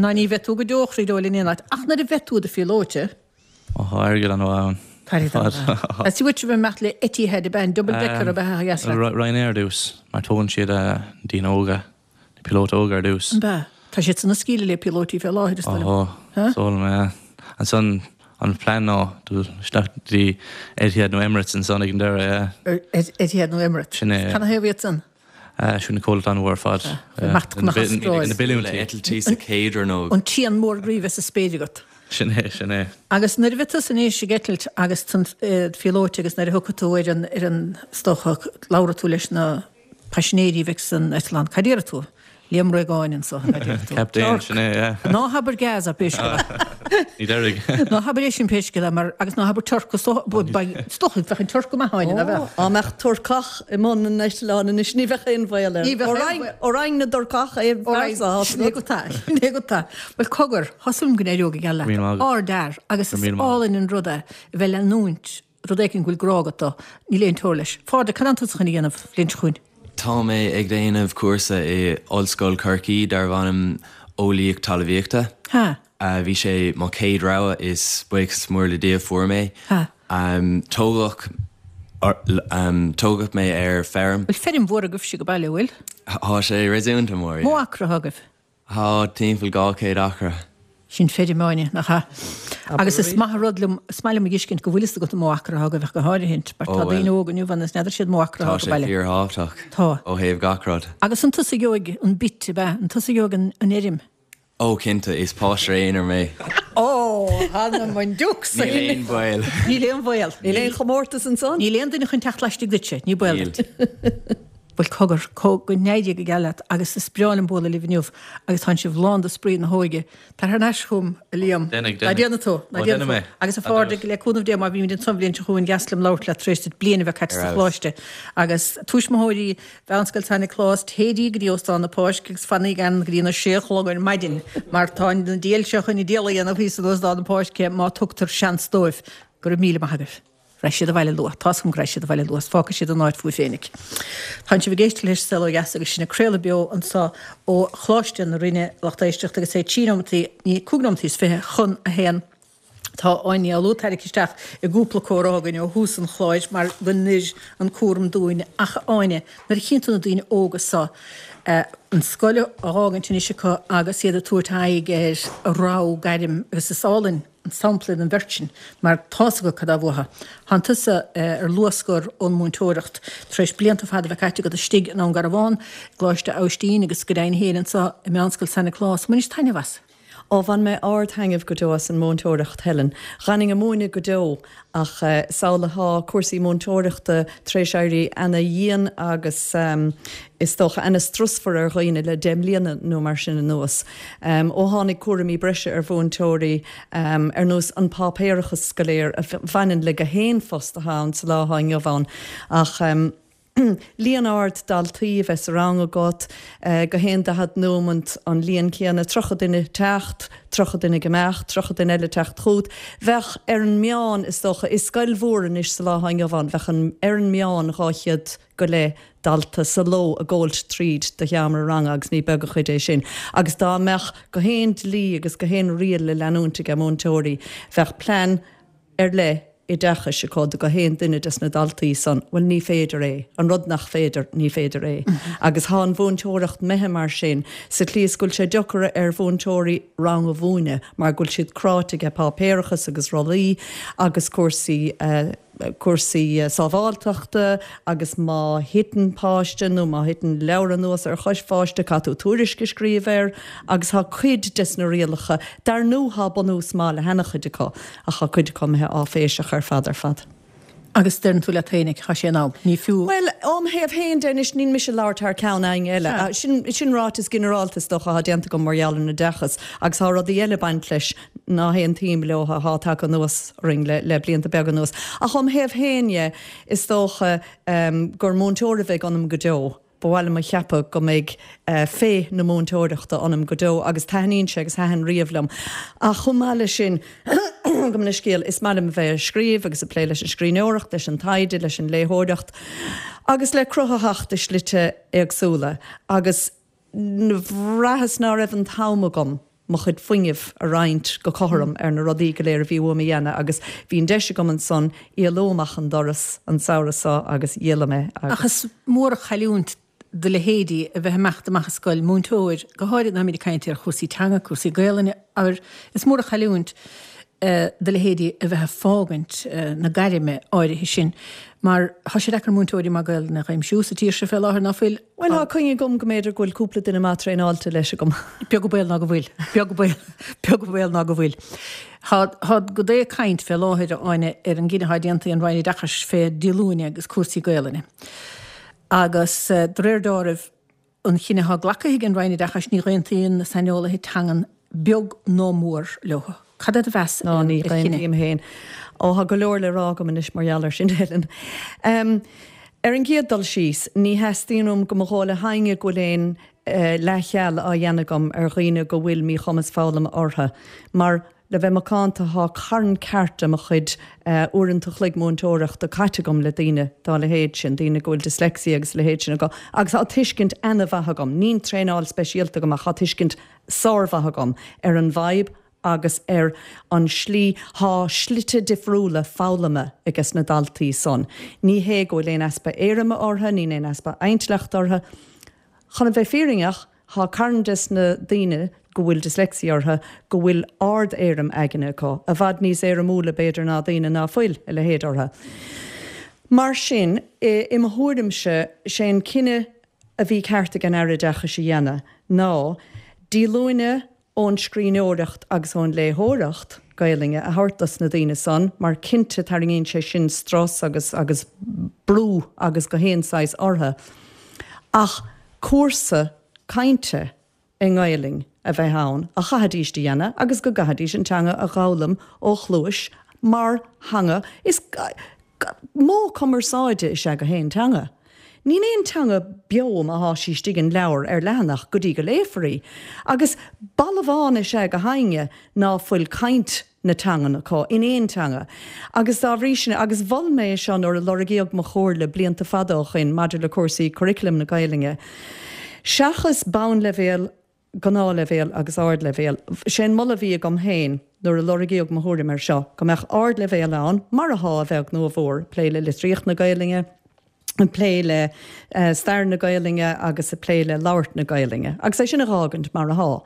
S1: Ná ní bheidh tú go deo chroí dóil in aon áit. Ach nuair a bheidh tú i do phíolóta,
S4: Ó, tá airgead an-mhaith ann.
S1: Tá airgead an-mhaith ann. Is uait a bheith ag imeacht le Etihad ab ea an double decker ab ea a dheas leat?
S4: Ryanair ar dtús, mar tógann siad daoine óga, na píolótaí óga ar dtús.
S1: An ea? Tá siad san ag scaoileadh le píolótaí fé láthair, is dóigh
S4: liom. Ó, is dóigh liom, yeah. Ansan an plean ná dul isteach go dtí Etihad nó Emirates ansan ag an deireadh,
S1: yeah. Etihad nó Emirates.
S4: Sin é, yeah.
S1: Canathaobh iad san?
S4: Sin na comhlachtaí an-mhór ar fad.
S1: Imeacht chun na hAstráile.
S4: Na billiúintí.
S5: Le eitiltí sa chéad rannóg.
S1: An t-éan mór groí bheith sa spéir agat.
S4: Sin é, sin é.
S1: Agus nuair a bheidh tusa anois ag eitilt agus tú i do phíolóta agus nuair a thiocfaidh tú ar an, ar an, is dócha, labhróidh tú leis na paisinéirí a bheidh san eitleán, cad déarfaidh tú? Liam Réagáin anso, a déarfaidh tú.
S4: Captaen, sin é, yeah.
S1: Ná habair Gaz, a b'é.
S6: Ní déarfaidh.
S1: Ná habair é sin pé scéal é mar, agus ná habair Turc, is dócha, is dócha, bheadh an Turc go maith Áine, ná
S3: beadh? Dá mbeadh Turcach i mbun an eitleáin anois ní bheadh aon bhaol air. Ní bheadh aon bhaol. Ó Roinn na dTurcach é an fear so.
S1: Sin é go tá, sin é go tá. Bhuel cogar, tá súil agam go n-éireoidh go geal leat. Ardfhear, agus is álainn an rud é a bheith ag leanúint rud éicint go bhfuil grá agat dó. Níl aon teora leis. Phádraig, cad tánn tusa chun a dhéanamh an bhliain seo chugainn?
S5: Tá mé ag déanamh cúrsa i Ollscoil Chorcaí darbh ainm Eolaíocht Talmhaíochta.
S1: Ha.
S5: Bhí sé mo chéad rogha is buíochas mór le Dia fuair mé.
S1: Ha.
S5: Tógadh tógadh mé ar feirm.
S1: Bhfuil feirm mhór agaibhse ag baile, bhfuil?
S5: Tá sé réasúnta mór,
S1: yeah. Mó acra atá agaibh?
S5: Tá timpeall 200 acra.
S1: Sin feirm, Áine, nach ea? Agus is maith an rud liom, is maith liom a dh'fheiscint go bhfuil fhios agat an mó acra atá agaibh ach go háirithint, mar tá daoine óga inniu ann is n'fheadar siad mó acra
S5: atá
S1: ag baile.
S5: Tá sé fíorthábhachtach.
S1: Tá.
S5: Ó thaobh gach rud.
S1: Agus an tusa a gheobhaidh an bit, ab ea? An tusa a gheobhaidh an fheirm?
S5: Ó, cinnte, is páiste aonair mé.
S1: Ó, th'anam 'on deoch
S5: Níl aon bhaol.
S1: Níl aon bhaol.
S3: Níl aon chomórtas ansan?
S1: Níl aon duine chun teacht laistigh duitse, ní baol duit. Bhuel, cogar, go n-éirí go geal leat agus is breá liom bualadh libh inniu agus tánn sibh lán de spraoi na hóige. Tar thar n-ais chugam, a Liam.
S6: Déanfaidh, déanfaidh. Ná
S1: déanfaidh tú, ná déanfaidh tú. Agus a Phádraig, le cúnamh Dé, má bhímid ansan an bhliain seo chugainn, dheas liom labhairt leat tar éis duit bliain a bheith caite sa choláiste. Agus tuismitheoirí Mheánscoil San Nioclás, téidí go dtí Óstán na Páisce agus fanaíg ann go dtí na sé a chlog ar maidin mar tá na diabhail seo chun an diabhal a dhéanamh thíos in Óstán na Páisce má tugtar seans dóibh. Go raibh míle maith agaibh. Raghaidh siad abhaile luath. Tá's agam go raghaidh siad abhaile luath 's fágfaidh siad an áit fúibh féinig. Tánn sibh ag éisteacht leis Saol Ó Dheas agus sinn ag craoladh beo anso ó Choláiste na Rinne, lucht éisteachta, agus é trí nóimeataí, ní, cúig nóimeataí is 21 chun. Tá Áine Ní Fhoghlú tarraingthe isteach i gcúpla comhrá againn ó thús an chláir mar go n-oir an cúram dúinn ach a Áine, nuair a chíonn tú na daoine óga so, an scoil á fhágaint anois acu agus iad ag tabhairt aghaidh ar a rogha gairm agus is álainn an sampla iad an bheirt sin mar tá's acu cad tá uathu. Tánn tusa ar luathscor ón múinteoireacht tar éis blianta fada a bheith caite agat istigh i nDún Garbhán, i gColáiste Aibhistín agus go deimhin féin anseo i Meánscoil San Nioclás. An mbainis taitneamh as?
S3: Ó, bhain mé ard-thaitneamh go deo as an múinteoireacht, Helen. Dh'fhanfainn ag múineadh go deo ach samhlaigh thá cúrsaí múinteoireachta tar éis éirí ana-dhian agus is dócha ana-strusmhar ar dhaoine le 10 mbliana nó mar sin anuas. Ó tháinig cúraimí breise ar mhúinteoirí, ar nós an páipéarachas go léir a bhaineann le gach aon phost atá ann sa lá atá inniu ann. Ach líon ard daltaí a bheith sa rang agat, gach aon 40 nóimint an líon céanna, 30 duine teacht, 30 duine ag imeacht, 30 duine eile teacht chugat. Bheadh, ar an meán, is dócha, i scoil mhór anois sa lá atá inniu ann, bheadh an, ar an meán, 200 go leith dalta sa ló ag gabhailt tríd do sheomra ranga agus ní beag an chuid é sin. Agus dá mbeadh gach aon dlí agus gach aon riail le leanúint aige múinteoirí, bheadh plean ar leith oideachais acu do gach aon duine des na daltaí san. Bhuel, ní féidir é. An rud nach féidir, ní féidir é. Agus thá an mhúinteoireacht imithe mar sin, sa tslí is go bhfuil sé deocair ar mhúinteoirí rang a mhúineadh mar go bhfuil siad cráite aige páipéarachas agus rollaí agus cúrsaí cúrsaí sábháilteachta agus má thiteann páiste nó má thiteann leabhar anuas ar chois pháiste caithfidh tú tuairisc a scríobh air agus thá cuid des na rialacha, dar ndú thá bunús maith le hana-chuid acu ach thá cuid acu imithe áiféiseach ar fad ar fad.
S1: Agus deireann tú leat féinig, thá sé in am, ní fiú.
S3: Bhuel, óm thaobh féin de anois, níl mise ag labhairt thar ceann éinne eile. Sin, sin ráiteas ginearálta is dócha athá déanta agam mar gheall ar an oideachas agus thá rudaí eile ag baint leis ná haontaím leo athá tagtha anuas orainn le, le blianta beaga anuas. Ach óm thaobh féin dhe, is dócha gur múinteoir a bheidh ionam go deo. Ba mhaith liom a cheapadh go mbeidh féith na múinteoireachta ionam go deo agus taitníonn sé agus thaitin riamh liom. Ach chomh maith leis sin, gabh mo leithscéal, is maith liom a bheith ag scríobh agus ag plé leis an scríbhneoireacht, leis an taighde, leis an léitheoireacht agus le cruthaitheacht i slite éagsúla agus bhraitheas ná raibh an t-am agam mo chuid fuinnimh a roinnt go cothrom ar na rudaí go léir a bhí uaim a dhéanamh agus bhí an deis agam ansan éalú amach an doras an samhradh so agus d'éalaigh mé
S1: agus. Ach is mór an chailliúint do leithéidí a bheith ag imeacht amach as scoil, múinteoir, go háirid nuair atáimid ag caint ar chúrsaí teanga, cúrsaí Gaelainne, abair, is mór an chailliúint do leithéidí a bheith ag fágaint na gairme áirithe sin mar tá sé deacair múinteoirí maith Gaelainne a aimsiú sa tír seo fé láthair, ná fuil?
S3: Bhuel, tá coinne agam go mb'fhéidir go bhfuil cúpla duine maith traenáilte leis agam.
S1: Beag an baol ná go bhfuil. Beag an baol, beag an baol ná go bhfuil. Tá, tá go deo caint fé láthair, a Áine, ar an gcinneadh atá déanta ag an Roinn Oideachais fé díolúine agus cúrsaí Gaelainne. Agus de réir deáraimh, an chinneadh atá glactha ag an Roinn Oideachais, ní aontaíonn na saineolaithe teangan beag ná mór leo. Cad é do mheas
S3: ar
S1: an
S3: Ní
S1: chinneadh?
S3: Aontaím féin. Ó, tá go leor le rá agam anois mar gheall air sin, Helen. Ar an gcéad dul síos, ní theastaíonn uaim go mba dhóigh le héinne go bhfuil aon leathcheal á dhéanamh agam ar dhaoine go bhfuil míchumas foghlama orthu, mar le bheith macánta tá carn ceart de mo chuid uaireanta a chloig múinteoireachta caite agam le daoine dá leithéid sin, daoine go bhfuil dyslexia agus a leithéid sin acu, agus tá tuiscint ana-mhaith agam, níl traenáil speisialta agam ach tá tuiscint sármhaith agam ar an bhfadhb agus ar an slí, thá slite difriúla foghlama ages na daltaí san. Ní hé go bhfuil aon easpa éirime orthu, níl aon easpa intleachta orthu. Chun a bheith fírinneach, thá carn des na daoine go bhfuil dyslexia orthu go bhfuil ard-éirim aigne acu, i bhfad níos éirimiúla b'fhéidir ná daoine ná fuil a leithéid orthu. Mar sin, i mo thuairimse, sé an cinneadh a bhí ceart ag an Aire Oideachais a dhéanamh ná díolúine ón scríbhneoireacht agus ón léitheoireacht Gaelainne a thabhairt dos na daoine san mar cinnte tarraingíonn sé sin strus agus agus brú agus gach aon saghas orthu ach cúrsa cainte i nGaelainn a bheith ann a chaithfidís a dhéanamh agus go gcaithfidís an teanga a dh'fhoghlaim ó chluais mar theanga is modh cumarsáide is ea gach aon teanga. Níl aon teanga beo má thá sí istigh in leabhar ar leathanach go dtí go léifear í. Agus balbhán is ea gach éinne ná fuil caint na teangan acu in aon teanga. Agus dá bhrí sin, agus mhol mé é seo nuair a lorgaíodh mo chomhairle blianta fada ó shoin maidir le cúrsaí curriculum na Gaelainne, seachas bonnleibhéal, gnáthleibhéal agus ardleibhéal, sé an moladh a bhí agam féin nuair a lorgaíodh mo thuairim air seo, go mbeadh ardleibhéal ann, mar athá, a bheag nó a mhór, ag plé le litríocht na Gaelainne, ag plé le stair na Gaelainne agus ag plé le labhairt na Gaelainne, agus é sin a dh'fhágaint mar athá.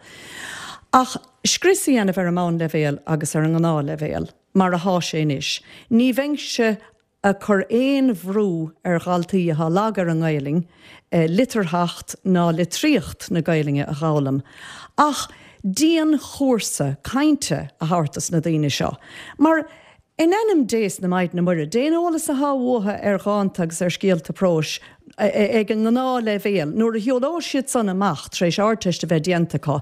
S3: Ach scrios a dhéanamh ar an mbonnleibhéal agus ar an ngnáthleibhéal, mar athá sé anois, ní bheinnse ag cur aon bhrú ar dhaltaí athá lag ar an nGaelainn litearthacht ná litríocht na Gaelainne a dh'fhoghlaim, ach dianchúrsa cainte a thabhairt dos na daoine seo. Mar In ainm Dé 's na Maighdine Muire, dén eolas athá uathu ar dhánta agus ar scéalta próis ag an ngnáthleibhéal, nuair a shiúlóidh siad san amach tar éis Ardteist a bheith déanta acu,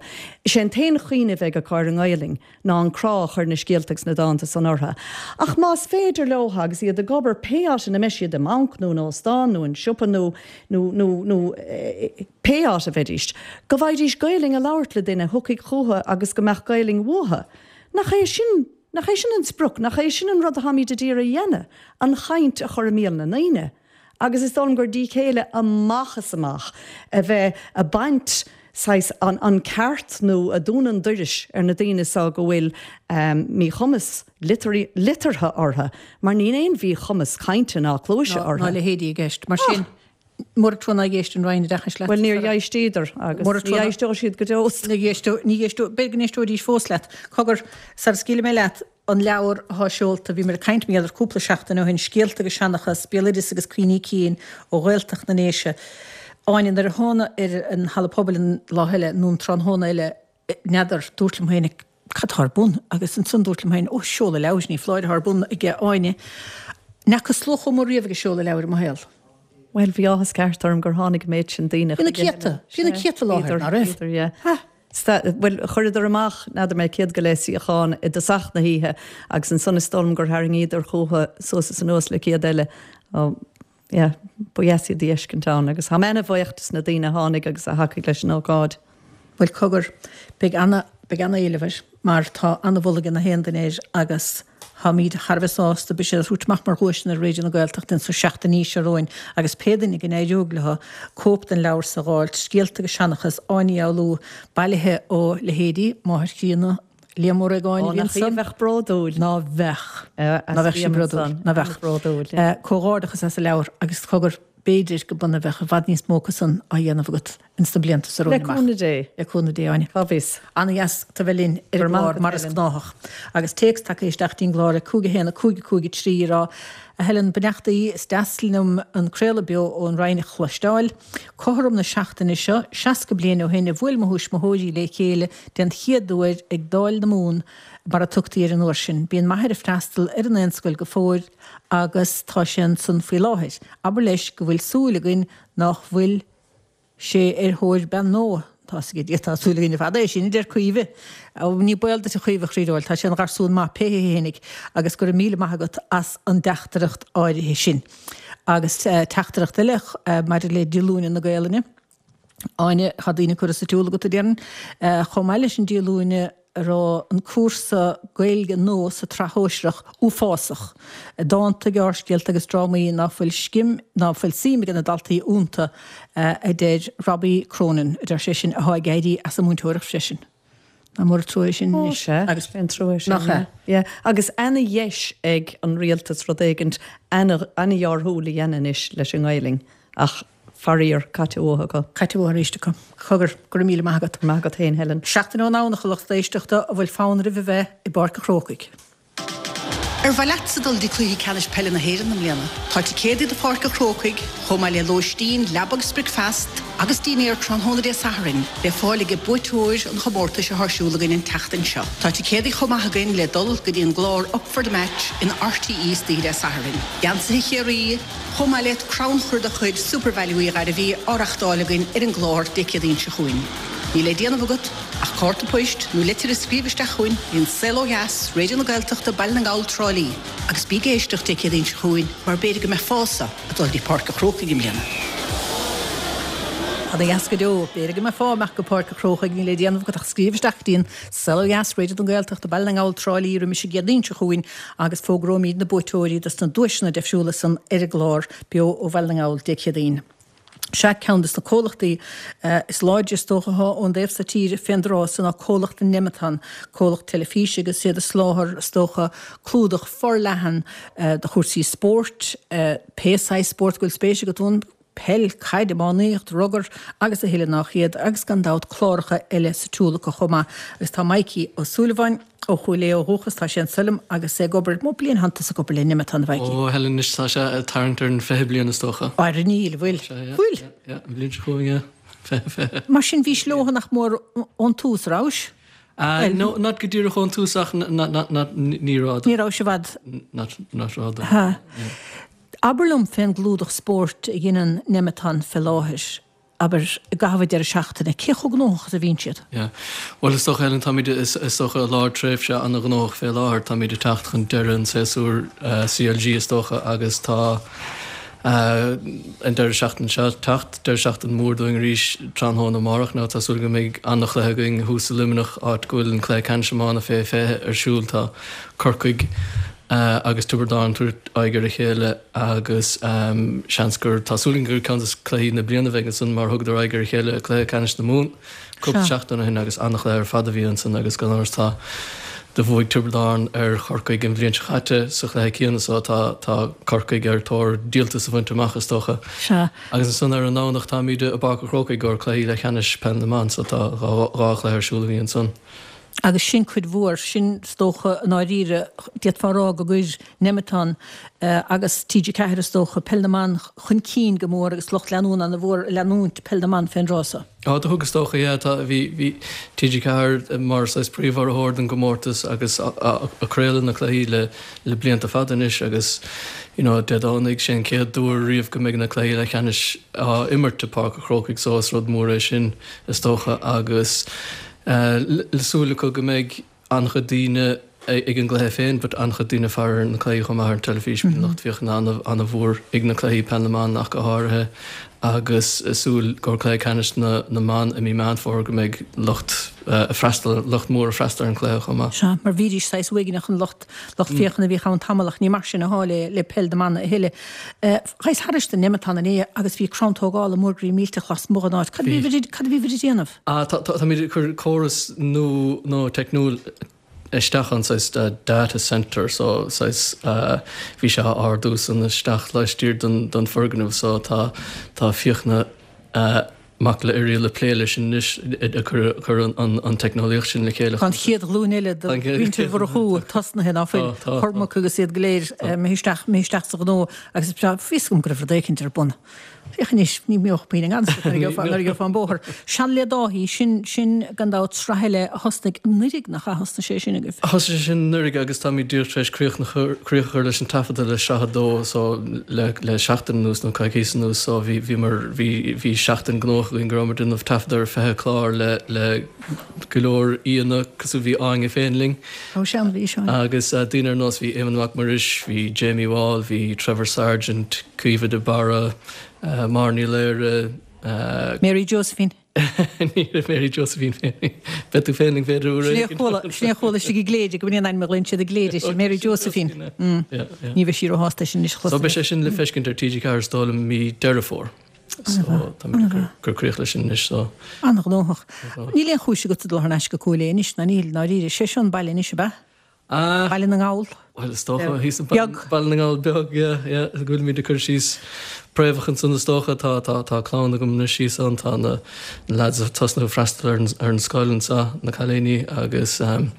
S3: is é an t-aon chuimhneamh a bheidh acu ar an nGaelainn ná an crá a chuir na scéalta agus na dánta san orthu. Ach más féidir leo agus iad ag obair pé áit ina mbeidh siad, i mbanc nó in óstán nó in siopa nó nó nó nó pé áit a bheidís, go bhfaighidís Gaelainn a labhairt le duine a thiocfaidh chucu agus go mbeadh Gaelainn uathu. Nach é sin Nach é sin an sprioc? Nach é sin an rud atáimid a d'iarraidh a dhéanamh? An chaint a chur i mbéal na ndaoine. Agus is dóigh liom gur díth céille amach is amach a bheith a' baint saghas an an ceart nó a' dúnadh an doiris ar na daoine so go bhfuil míchumas liteartha orthu mar níl aon mhíchumas cainte ná cluaise
S1: Ná
S3: orthu.
S1: ná leithéidí i gceist. Mar sin, Mura trua nár éist an Roinn Oideachais leat.
S3: Bhuel, níor éisteadar agus ní éisteoidh siad go deo.
S1: Ní éisteoidh, ní éisteoidh, b'fhéidir go n-éisteoidís fós leat. Cogar, sara scaoilfidh mé leat, an leabhar athá seolta, bhíomar ag caint mar gheall air cúpla seachtain ó shin, Scéalta agus Seanchas, Béaloideas agus Cuimhní Cinn ó Ghaeltacht na nDéise. Áine, nuair a thána ar an Halla Pobail an lá eile, nó an tráthnóna eile, n'fheadar, dúrt liom féin, cad tá ar bun? Agus ansan dúrt liom féin, ó, seoladh leabhair, ní foláir atá ar bun aige Áine. N'fheaca slua chomh mór riamh ag seoladh leabhair i mo shaol.
S3: Bhuel, bhí áthas ceart orm gur tháinig an méid sin daoine
S1: Bhí na céadta, bhí na céadta i láthair, ná raibh?
S3: Bhíodar, yeah. Bhuel, chuireadar amach, n'fheadar mé, 100 go leith suíochán i dtosach na hoíche agus ansan is dóigh liom gur tharraingíodar chucu suas is anuas le 100 eile. Yeah, ba dheas iad a fheiscint ann agus tá mé ana-bhuíoch des na daoine a tháinig agus a thacaigh leis an ócáid.
S1: Bhuel, cogar, beidh ana, beidh ana-éileamh air mar tá ana-mholadh ag na haon duine air agus táimíd thar a bheith sásta, beidh sé á thabhairt amach mar dhuaiseanna ar Raidió na Gaeltachta ins na seachtainí seo romhainn agus pé duine go n-éireoidh leo cóip den leabhar so a dh'fháilt, Scéalta agus Seanchas, Áine Ní Fhoghlú, bailithe ó leithéidí Máthair Chríonna, Liam Ó Réagáin
S3: a
S1: bhí
S3: Ó, nach í a
S1: ansan.
S3: bheadh bródúil.
S1: Ná bheadh. Ná bheadh sí bródúil. Ná bheadh.
S3: Bródúil.
S1: Comhghairdeachas as an leabhar agus cogar, b'fhéidir go b'ionann a bheadh i bhfad níos mó acu san á dhéanamh agat ins na blianta so
S3: Le
S1: romhainn amach.
S3: cúnamh Dé.
S1: Le cúnamh Dé, Áine.
S3: Cá bhfios.
S1: Ana-dheas tu bheith linn ar an gclár mar is gnáthach. Agus téacs tagtha isteach dtí'n gclár ag 5 1 5 5 3 ag rá, A Helen, beannachtaí, is deas liom an craoladh beo ón Rinn a chloisteáil. Cothrom na seachtaine seo, 60 bliain ó shin a bhuail mo thuismitheoirí le chéile den chéad uair ag Dáil na Mumhan, mar a tugtaí air an uair sin. Bíonn m'athair ag freastal ar an Daonscoil go fóill agus tá sé ansan faoi láthair. Abair leis go bhfuil súil againn nách bhfuil sé ar thóir bean nua. Tá 's ag Dia, tá súil againn ar fad é sin, a deir Caoimhe. Ó, ní baol duit a Chaoimhe, a chroí bhuel, tá sé ina gharsún maith pé hé fhéinig agus go raibh míle maith agat as an dteachtaireacht áirithe sin. Agus teachtaireacht eile maidir le Díolúine na Gaelainne. Áine, tá daoine curtha sa tsiúl agat, a déarfainn. Chomh maith leis an díolúine, a raibh an cúrsa Gaeilge nua sa tsraith shóisearach uafásach. Dánta, gearrscéalta agus drámaí ná fuil scim, ná fuil suim ag na daltaí iontu, a deir Robbie Cronin, a deir sé sin, atá ag éirí as an múinteoireacht freisin. Nach mór an trua é sin
S3: anois. Ó, sea,
S1: Agus
S3: an trua é sin,
S1: nach ea?
S3: Yeah. Agus ana-dheis ag an rialtas rud éigint ana-dhearthúil a dhéanamh anois leis an nGaelainn, ach faraor, caite uathu acu.
S1: Caite uathu arís acu. Cogar, go raibh míle maith agat.
S3: Maith agat féin, Helen.
S1: Seachtain ón nDomhnach, a lucht éisteachta, an bhfuil fonn oraibh a bheith i bPáirc an Chrócaigh?
S6: Ar mhaith leatsa dul dtí Cluiche Ceannais Peile na hÉireann i mbliana? Tá ticéadaí do Pháirc an Chrócaigh, chomh maith le lóistín, leaba agus bricfeast, agus dinnéar tráthnóna Dé Sathairn, le fáil ag buaiteoir an chomórtais atá ar siúl againn an tseachtain seo. Tá ticéadaí chomh maith againn le dul go dtí an gclár Up for the Match in RTÉ istoíche Dé Sathairn. Geansaithe Chiarraí, chomh maith le crannchur de chuid Supervalu Uí Ghairbhí á reachtáil againn ar an gclár Dé Céadaoin seo chugainn. Níl le déanamh agat ach cárta poist nó litir a scríobh isteach chugainn go dtí An Saol Ó Dheas, Raidió na Gaeltachta, Baile na nGall, Trá Lí. Agus bí ag éisteacht Dé Céadaoin seo chugainn mar b'fhéidir go mbeifeása ag dul dtí Páirc an Chrócaigh i mbliana.
S1: Ana dheas go deo. B'fhéidir go mbeifeá ag imeacht go Páirc an Chrócaigh, níl le déanamh agat ach scríobh isteach go dtí An Saol Ó Dheas, Raidió na Gaeltachta, Baile na nGall, Trá Lí roimis an gCéadaoin seo chugainn agus fógróimid na buaiteoirí dos na duaiseanna deifriúla san ar an gclár Beo ó Bhaile na nGall Dé Céadaoin. Sea, ceann dos na comhlachtaí is láidre is dócha atá ón dtaobh so tíre fén dtráth so ná comhlacht Nemeton, comhlacht teilifíse agus iad ag soláthar is dócha clúdach forleathan do chúrsaí spóirt, pé saghas spóirt go bhfuil spéis agat ann. peil, caid, iománaíocht, rugar agus a thuilleadh nách iad agus gan dabht cláracha eile sa tsiúl acu chomh maith. Agus tá Mikey Ó Súilleabháin ó Chúil Aodha ó dhúchas, tá sé anso liom agus é ag obair, mó bliain atánn tusa ag obair le Nemeton, a Mhikey?
S7: Ó, Helen, anois tá sé ag tarraingt ar an 20 bliain is dócha.
S1: Ar níl, bhfuil?
S7: Sea, yeah,
S1: Bhfuil?
S7: yeah, yeah, an bhliain seo chugainn, yeah, 20, 20.
S1: Mar sin bhís leo nach mór ón tús, rabhais?
S7: Ah, no, not go díreach ón tús ach not, not, not, ní raibh.
S1: Ní rabhais i bhfad.
S7: Not, not rófhada.
S1: Ha. Abair liom fén gclúdach spóirt a dheineann Nemeton fé láthair, abair, i gcaitheamh an deireadh seachtaine, cé chomh gnóthach is a bhíonn siad?
S7: Yeah. Bhuel, is dócha, Helen, táimid, is dócha, i lár tréimhse an-ghnóthach fé láthair. Táimid ag teacht chun deireadh an tséasúir CLG, is dócha, agus tá an deireadh seachtaine seo ag teacht, deireadh seachtaine mór dúinn arís tráthnóna amárach. Now, tá súil go mbeidh an-chluiche againn thuas i Luimneach, áit go bhfuil an cluiche ceannais iomána fé 20 ar siúl. Tá Corcaigh agus Tiobraid Árann ag tabhairt aghaidh ar a chéile agus seans gur, tá súil againn gur ceann de cluichí na bliana a bheidh ansan mar thugadar aghaidh ar a chéile i gcluiche ceannais na Mumhan cúpla seachtain ó shin agus an-chluiche ar fad a bhí ansan agus gan amhras tá, do bhuaigh Tiobraid Árann ar Chorcaigh an bhliain seo caite sa chluiche céanna so tá, tá Corcaigh ar tóir díoltas a bhaint amach is dócha.
S1: Sea.
S7: Agus ansan ar an nDomhnach táimid i bPáirc an Chrócaigh i gcomhair cluichí leathcheannais Peil na mBan so tá dhá chluiche ar siúl againn ansan.
S1: Agus sin cuid mhór, sin is dócha i ndáiríre, d'fhéadfá a rá go gcuir Nemeton agus TG4 is dócha, Peil na mBan chun cinn go mór agus lucht leanúna ana mhór ag leanúint Peil na mBan fén dtráth so.
S7: Á, do thug is dócha, yeah, tá, bhí, bhí TG4 mar saghas príomhurraitheoir don gcomórtas agus ag craoladh na cluichí le, le blianta fada anois agus you know Dé Domhnaigh, sé an chéad uair riamh go mbeidh na cluichí leathcheannais á imirt i Páirc an Chrócaigh so is rud mór é sin is dócha agus Le súil acu go mbeidh an-chuid daoine ag an gcluiche féin but an-chuid daoine ag faire ar na cluichí chomh maith ar an teilifís. Bíonn lucht féachana an-mhór ag na cluichí Peil na mBan ach go háirithe agus súil go cluiche ceannais na mban i mí Meán Fómhair go mbeidh lucht ag freastal, lucht mór ag freastal ar an gcluiche chomh maith.
S1: Sea, mar bhídís saghas uaigneach an lucht lucht féachana a bhíodh ann tamall ach ní mar sin athá le le peil na mban a thuilleadh. Ghabhais thairis do Nemeton inné agus bhí crann tógála mór groí millteach lasmuigh den áit. Cad a bhí cad a bhíbh ag déanamh?
S7: Ah, tá, táimid ag cur córas nua, nua teicniúil isteach ann, saghas data centre, so saghas, bhí sé á ardú san isteach laistiar den, den foirgneamh, so tá, tá Fiachna Mac Giolla Oiriall ag plé leis anois, ag cur, cur an, an, an teicneolaíocht sin le chéile.
S1: Tá an chéad ghlúin eile de mhuintir Mhurchú tosnaithe, ná fuil?
S7: Tá, tá.
S1: Cormac agus iad go léir imithe isteach, imithe isteach sa ghnó agus is breá, bhí fhios agam go raibh rud éicint ar bun. Féach anois, ní bheadh puinn i ngan fhios nuair a gheofá, nuair a gheofá an bóthar. Seal le Dáithí, sin, sin gan dabht sraith eile a thosnaigh anuraidh, nach ea? Thosnaigh sé sin agaibh?
S7: Thosaigh sé sin anuraidh agus táimid díreach tar éis críoch a chur, críoch a chur leis an taifeadadh le sraith a dó so le, le seachtain anuas nó coicíos anuas so bhí, bhíomar, bhí, bhí seachtain gnóthach againn go rabhamar ag déanamh taifeadadh ar 20 clár le, le go leor aíonna cosúil bhí Áine féin linn.
S1: Ó sea, bhí, sea.
S7: Agus daoine ar nós, bhí Éamonn Mac Muiris, bhí Jamie Wall, bhí Trevor Sargent, Caoimhe de Barra, Máire Ní Laoire,
S1: Mary Josephine.
S7: Ní raibh Mary Josephine féin. Beidh tú féin linn b'fhéidir uair
S1: éigin. Sin é a chuala istigh i gCléire, go b'in é an ainm a ghlaonn siad i gCléire, sin Mary Josephine. Ní bheidh sí róshásta leis sin anois a
S7: chlos. So beidh sé sin le feiscint ar TG4 is dóigh liom mí Deireadh Fómhair. So táimid ag cur críoch leis sin anois so.
S1: An-ghnóthach. Níl aon chúis agatsa dul thar n-ais go Cúil Aodha anois, ná níl, ndáiríre. Sé seo an baile anois, ab ea?
S7: Ah!
S1: Baile na nGall.
S7: Bhuel, is dócha, thíos an Beag. Baile na nGall beag, yeah, yeah, go bhfuilimid ag cur síos préamhacha ansan is dócha. Tá, tá, tá clann agam anois thíos ann, tá na lads ag tosnú ag freastal ar an, ar an scoil anso, na cailíní agus ehm,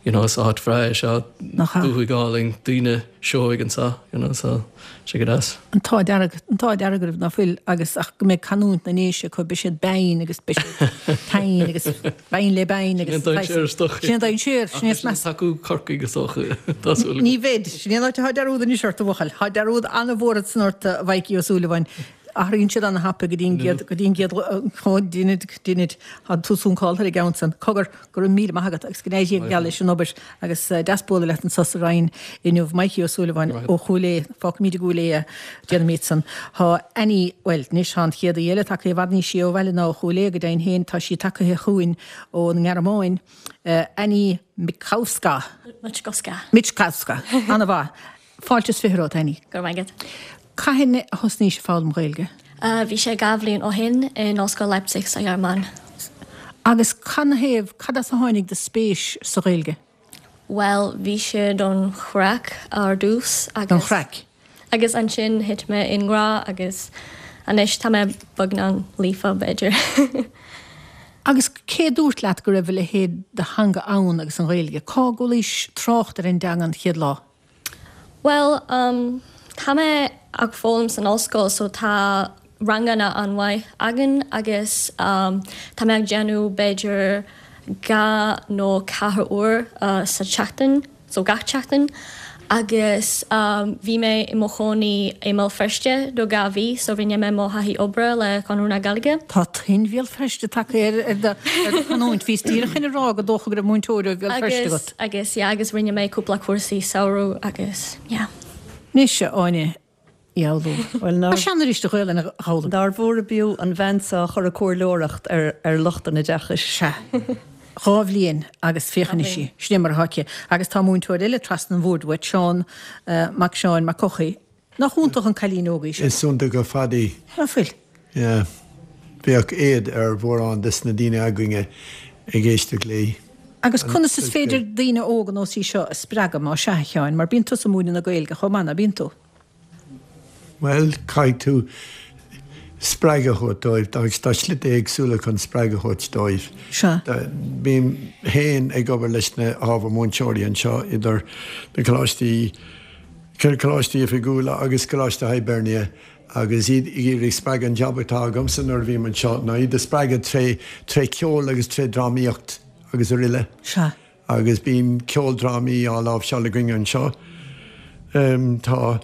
S7: you know, is áit bhreá é seo,
S1: Nach ea?
S7: dúthaigh álainn, daoine seoigh anso, you know, so sé go deas.
S1: An t-ádh dearg, an t-ádh dearg oraibh ná fuil agus ach go mbeidh canúint na nDéise acu, beidh siad beinn agus beidh siad tinn agus beinn le beinn agus
S7: Sin é an dainséar is dócha.
S1: Sin é an dainséar, sin é is measa.
S7: Ach beidh siad ag tacú Corcaigh is dócha, tá súil agam.
S1: Ní bheid, sin é an áit atá dearúd anois ort a bhuachaill. Tá dearúd an-mhór ansan ort a Mhaidhcí Ó Súilleabháin. Athraíonn siad an-thapaidh go dtí an gcéad, go dtí an gcéad, ó dinid, dinid, tá tú suncálta ar an gceann san. Cogar, Go raibh míle maith agat agus go n-éirí go geal leis an obair agus deas bualadh leat anso sa Rinn inniu. Maidhcí Ó Súilleabháin ó Chúil Aodha. Fágfaimid i gCúil Aodha é, déanfaimid san. Tá Annie, bhuel, anois tá an chéad aoi eile tagtha i bhfad níos sia ó bhaile ná ó Chúil Aodha go deimhin féin, tá sí tagtha chugainn ón nGearmáin. Annie Mikowska.
S8: Michkowska.
S1: Michkowska. An-mhaith. Fáilte is fiche romhat, Annie.
S8: Go raibh maith agat.
S1: Cathain a thosnaís ag foghlaim Gaeilge?
S8: Bhí sé 2 bhliain ó shin in Ollscoil Leipzig sa Ghearmáin.
S1: Agus cad 'na thaobh, cad as a tháinig do spéis sa Ghaeilge?
S8: Bhuel, bhí sé don chraic ar dtús
S1: agus. Don chraic.
S8: Agus ansin thit mé i ngrá agus anois tá mé beagnán líofa, b'fhéidir.
S1: Agus cé a dúirt leat go raibh a leithéid de theanga ann agus an Ghaeilge? Cá gcualaís trácht ar an dteanga an chéad lá?
S8: Bhuel, um, tá mé ag foghlaim san ollscoil so tá ranganna an-mhaith againn agus um, tá mé ag déanamh b'fhéidir 2 nó 4 uair sa tseachtain, so gach tseachtain agus um, bhí mé i mo chónaí i mBéal Feirste do 2 mhí so rinne mé mo thaithí oibre le Conradh na Gaeilge.
S1: Tá tuin Bhéal Feirste tagtha ar ar do ar do chanúint. Bhíos díreach chun a rá gur dócha go raibh múinteoir ó Bhéal Feirste
S8: agat. Agus, yeah, agus rinne mé cúpla cúrsaí samhradh agus, yeah.
S1: Anois, a Áine Uí Fhoghlú.
S3: Bhuel,
S1: nár. Tá sean arís do Ghaelainn a dh'fhoghlaim.
S3: Nár mhór ab fhiú an bhean seo a chur ag comhairleoireacht ar ar lucht an oideachais.
S1: Sea. 2 bhliain agus féach anois í. Sin é mar atá aici. Agus tá múinteoir eile trasna an bhoird uait, Seán Mac Seáin Mac Eochaidh. Nach iontach an cailín óg í sin?
S9: Is iontach ar fad í.
S1: Ná fuil?
S9: Yeah. Bheadh éad ar mhórán des na daoine againne ag éisteacht léi.
S1: Agus conas is féidir daoine óga ar nós í seo a spreagadh, má sea, a Sheáin, mar bíonn tusa ag múineadh na Gaeilge chomh maith, ná bíonn tú?
S9: Bhuel, caithfidh tú spreagadh a thabhairt dóibh agus tá slite éagsúla chun spreagadh a thabhairt dóibh.
S1: Sea.
S9: Bím féin ag obair leis na hábhair múinteoirí anseo idir na coláistí, Coláistí Oifigiúla agus Coláiste Hibernia agus iad ag iarraidh spreagadh. An jab atá agamsa nuair a bhím anseo ná iad a spreagadh tré tré cheol agus tré drámaíocht agus aroile.
S1: Sea.
S9: Agus bíonn ceoldrámaí á láimhseáil againn anseo. Tá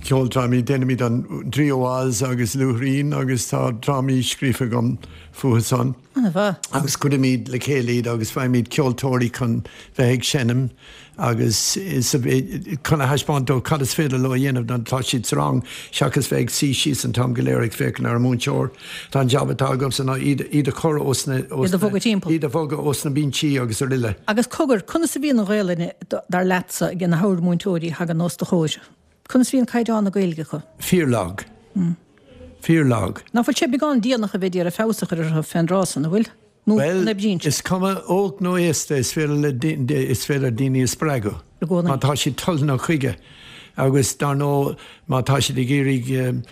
S9: ceoldrámaí, déanaimid an Draoi ó Oz agus Luaithrín agus tá drámaí scríofa agam fúthu san.
S1: An-mhaith.
S9: Agus cuirimid le chéile iad agus faighimid ceoltóirí chun bheith ag seinm. agus chun a thaispeáint dóibh cad is féidir leo a dhéanamh nuair atá siad sa rang seachas bheith ag suí síos an t-am go léir ag féachaint ar an múinteoir. Tá an jab atá agamsa ná iad iad a chur os na
S1: Iad a bhogadh timpeall.
S9: iad a bhogadh os na binsí agus aroile.
S1: Agus cogar, conas a bhíonn an Ghaelainn, dar leatsa, ag na hábhair mhúinteoirí a thagann os do chomhair? Conas a bhíonn caighdeán na Gaeilge acu?
S9: Fíorlag. Fíorlag.
S1: Ná fuil sé beagán déanach a bheith ag iarraidh feabhas a chur orthu fén dtráth san, an bhfuil? Nó
S9: Bhuel,
S1: an oibríonn sé?
S9: is cuma óg nó aosta, is féidir le is féidir daoine a spreagadh.
S1: I gcónaí.
S9: Má tá siad toilteanach chuige. Agus dar ndóigh, má tá siad ag iarraidh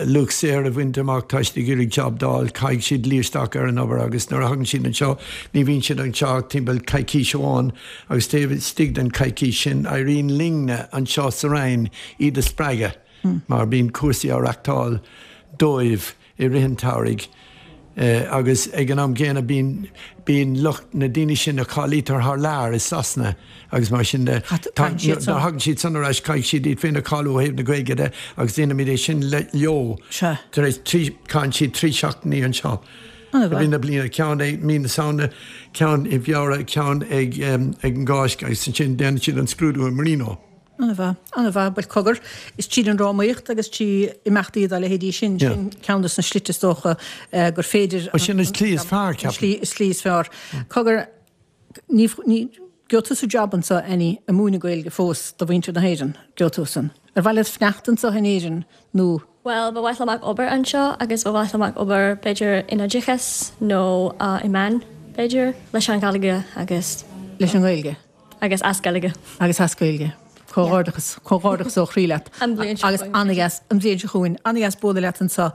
S9: luach saothair a bhaint amach, tá siad ag iarraidh jab d'fháil, caithfidh siad luí isteach ar an obair agus nuair a thagann siad anseo, ní bhíonn siad anseo ach timpeall coicís amháin agus taobh istigh den choicís sin, éiríonn linne anseo sa Rinn iad a spreagadh. Mar bíonn cúrsaí á reachtáil. dóibh i rith an tsamhraidh agus ag an am gcéanna bíonn, bíonn lucht na daoine sin a cháilítear thar lear i Sasana agus mar sin de, tá, nuair a thagann siad san ar ais caithfidh siad iad féin a cháiliú ó thaobh na Gaeilge de agus déanaimid é sin leo tar éis trí, caitheann siad 3 seachtainí anseo i rith na bliana, ceann ag mí na Samhna, ceann i bhFeabhra, ceann ag ag an gCáisc agus ansin déanann siad an scrúdú i Marino.
S1: An-mhaith, an-mhaith. Bhuel, cogar, is tríd an drámaíocht agus trí imeachtaí dá leithéidí sin, sin ceann de na slite is dócha gur féidir.
S9: Bhuel, sin an tslí is fearr, ceapaim.
S1: An tslí is fearr. Cogar, ní, ní, gheobhaidh tusa jab anseo, Annie, ag múineadh Gaeilge fós do mhuintir na hÉireann, gheobhaidh tú san. Ar mhaith leat fanacht anseo in Éirinn nó.
S8: Bhuel, ba mhaith liom ag obair anseo agus ba mhaith liom ag obair b'fhéidir in oideachas nó i meán, b'fhéidir, leis an Ghaeilge agus.
S1: Leis an nGaeilge.
S8: Agus as Gaeilge.
S1: Agus as Gaeilge. Comhghairdeachas, comhghairdeachas ó chroí leat.
S8: An bhliain seo
S1: Agus an-dheas, an bhliain seo chugainn. An-dheas bualadh leat anseo.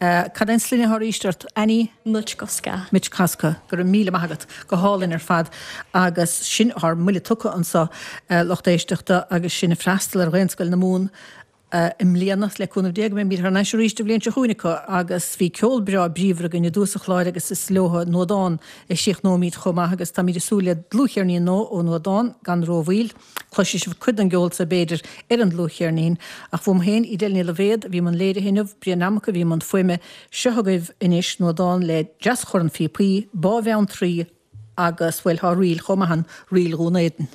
S1: Cad é an sloinne atá arís ort? Annie?
S8: Michkovska.
S1: Michkovska. Go raibh míle maith agat. Go hálainn ar fad. Agus sin ár mbuille tugtha anseo, lucht éisteachta, agus sinn ag freastal ar Ghaelscoil na Mumhan. i mbliana, le cúnamh Dé, go mbeimid thar n-ais arís an bhliain seo chugainn acu agus bhí ceol breá bríomhar againn i dtús an chláir agus is leo Nuadán a chríochnóimid chomh maith agus táimid ag súil le dlúthcheirnín nua ó Nuadán gan rómhoill. Cloisfidh sibh cuid den gceol so b'fhéidir ar an dlúthcheirnín. Ach uaim féin, Edel Ní Loibhéad, a bhí i mbun léirithe inniu, Brian Mac a bhí i mbun fuaime. Seo agaibh anois Nuadán le Deaschorn Phíopaí, Bá Bheanntraí agus, bhuel, tá ríl chomh maith ann, Ríl Dhún Éideann.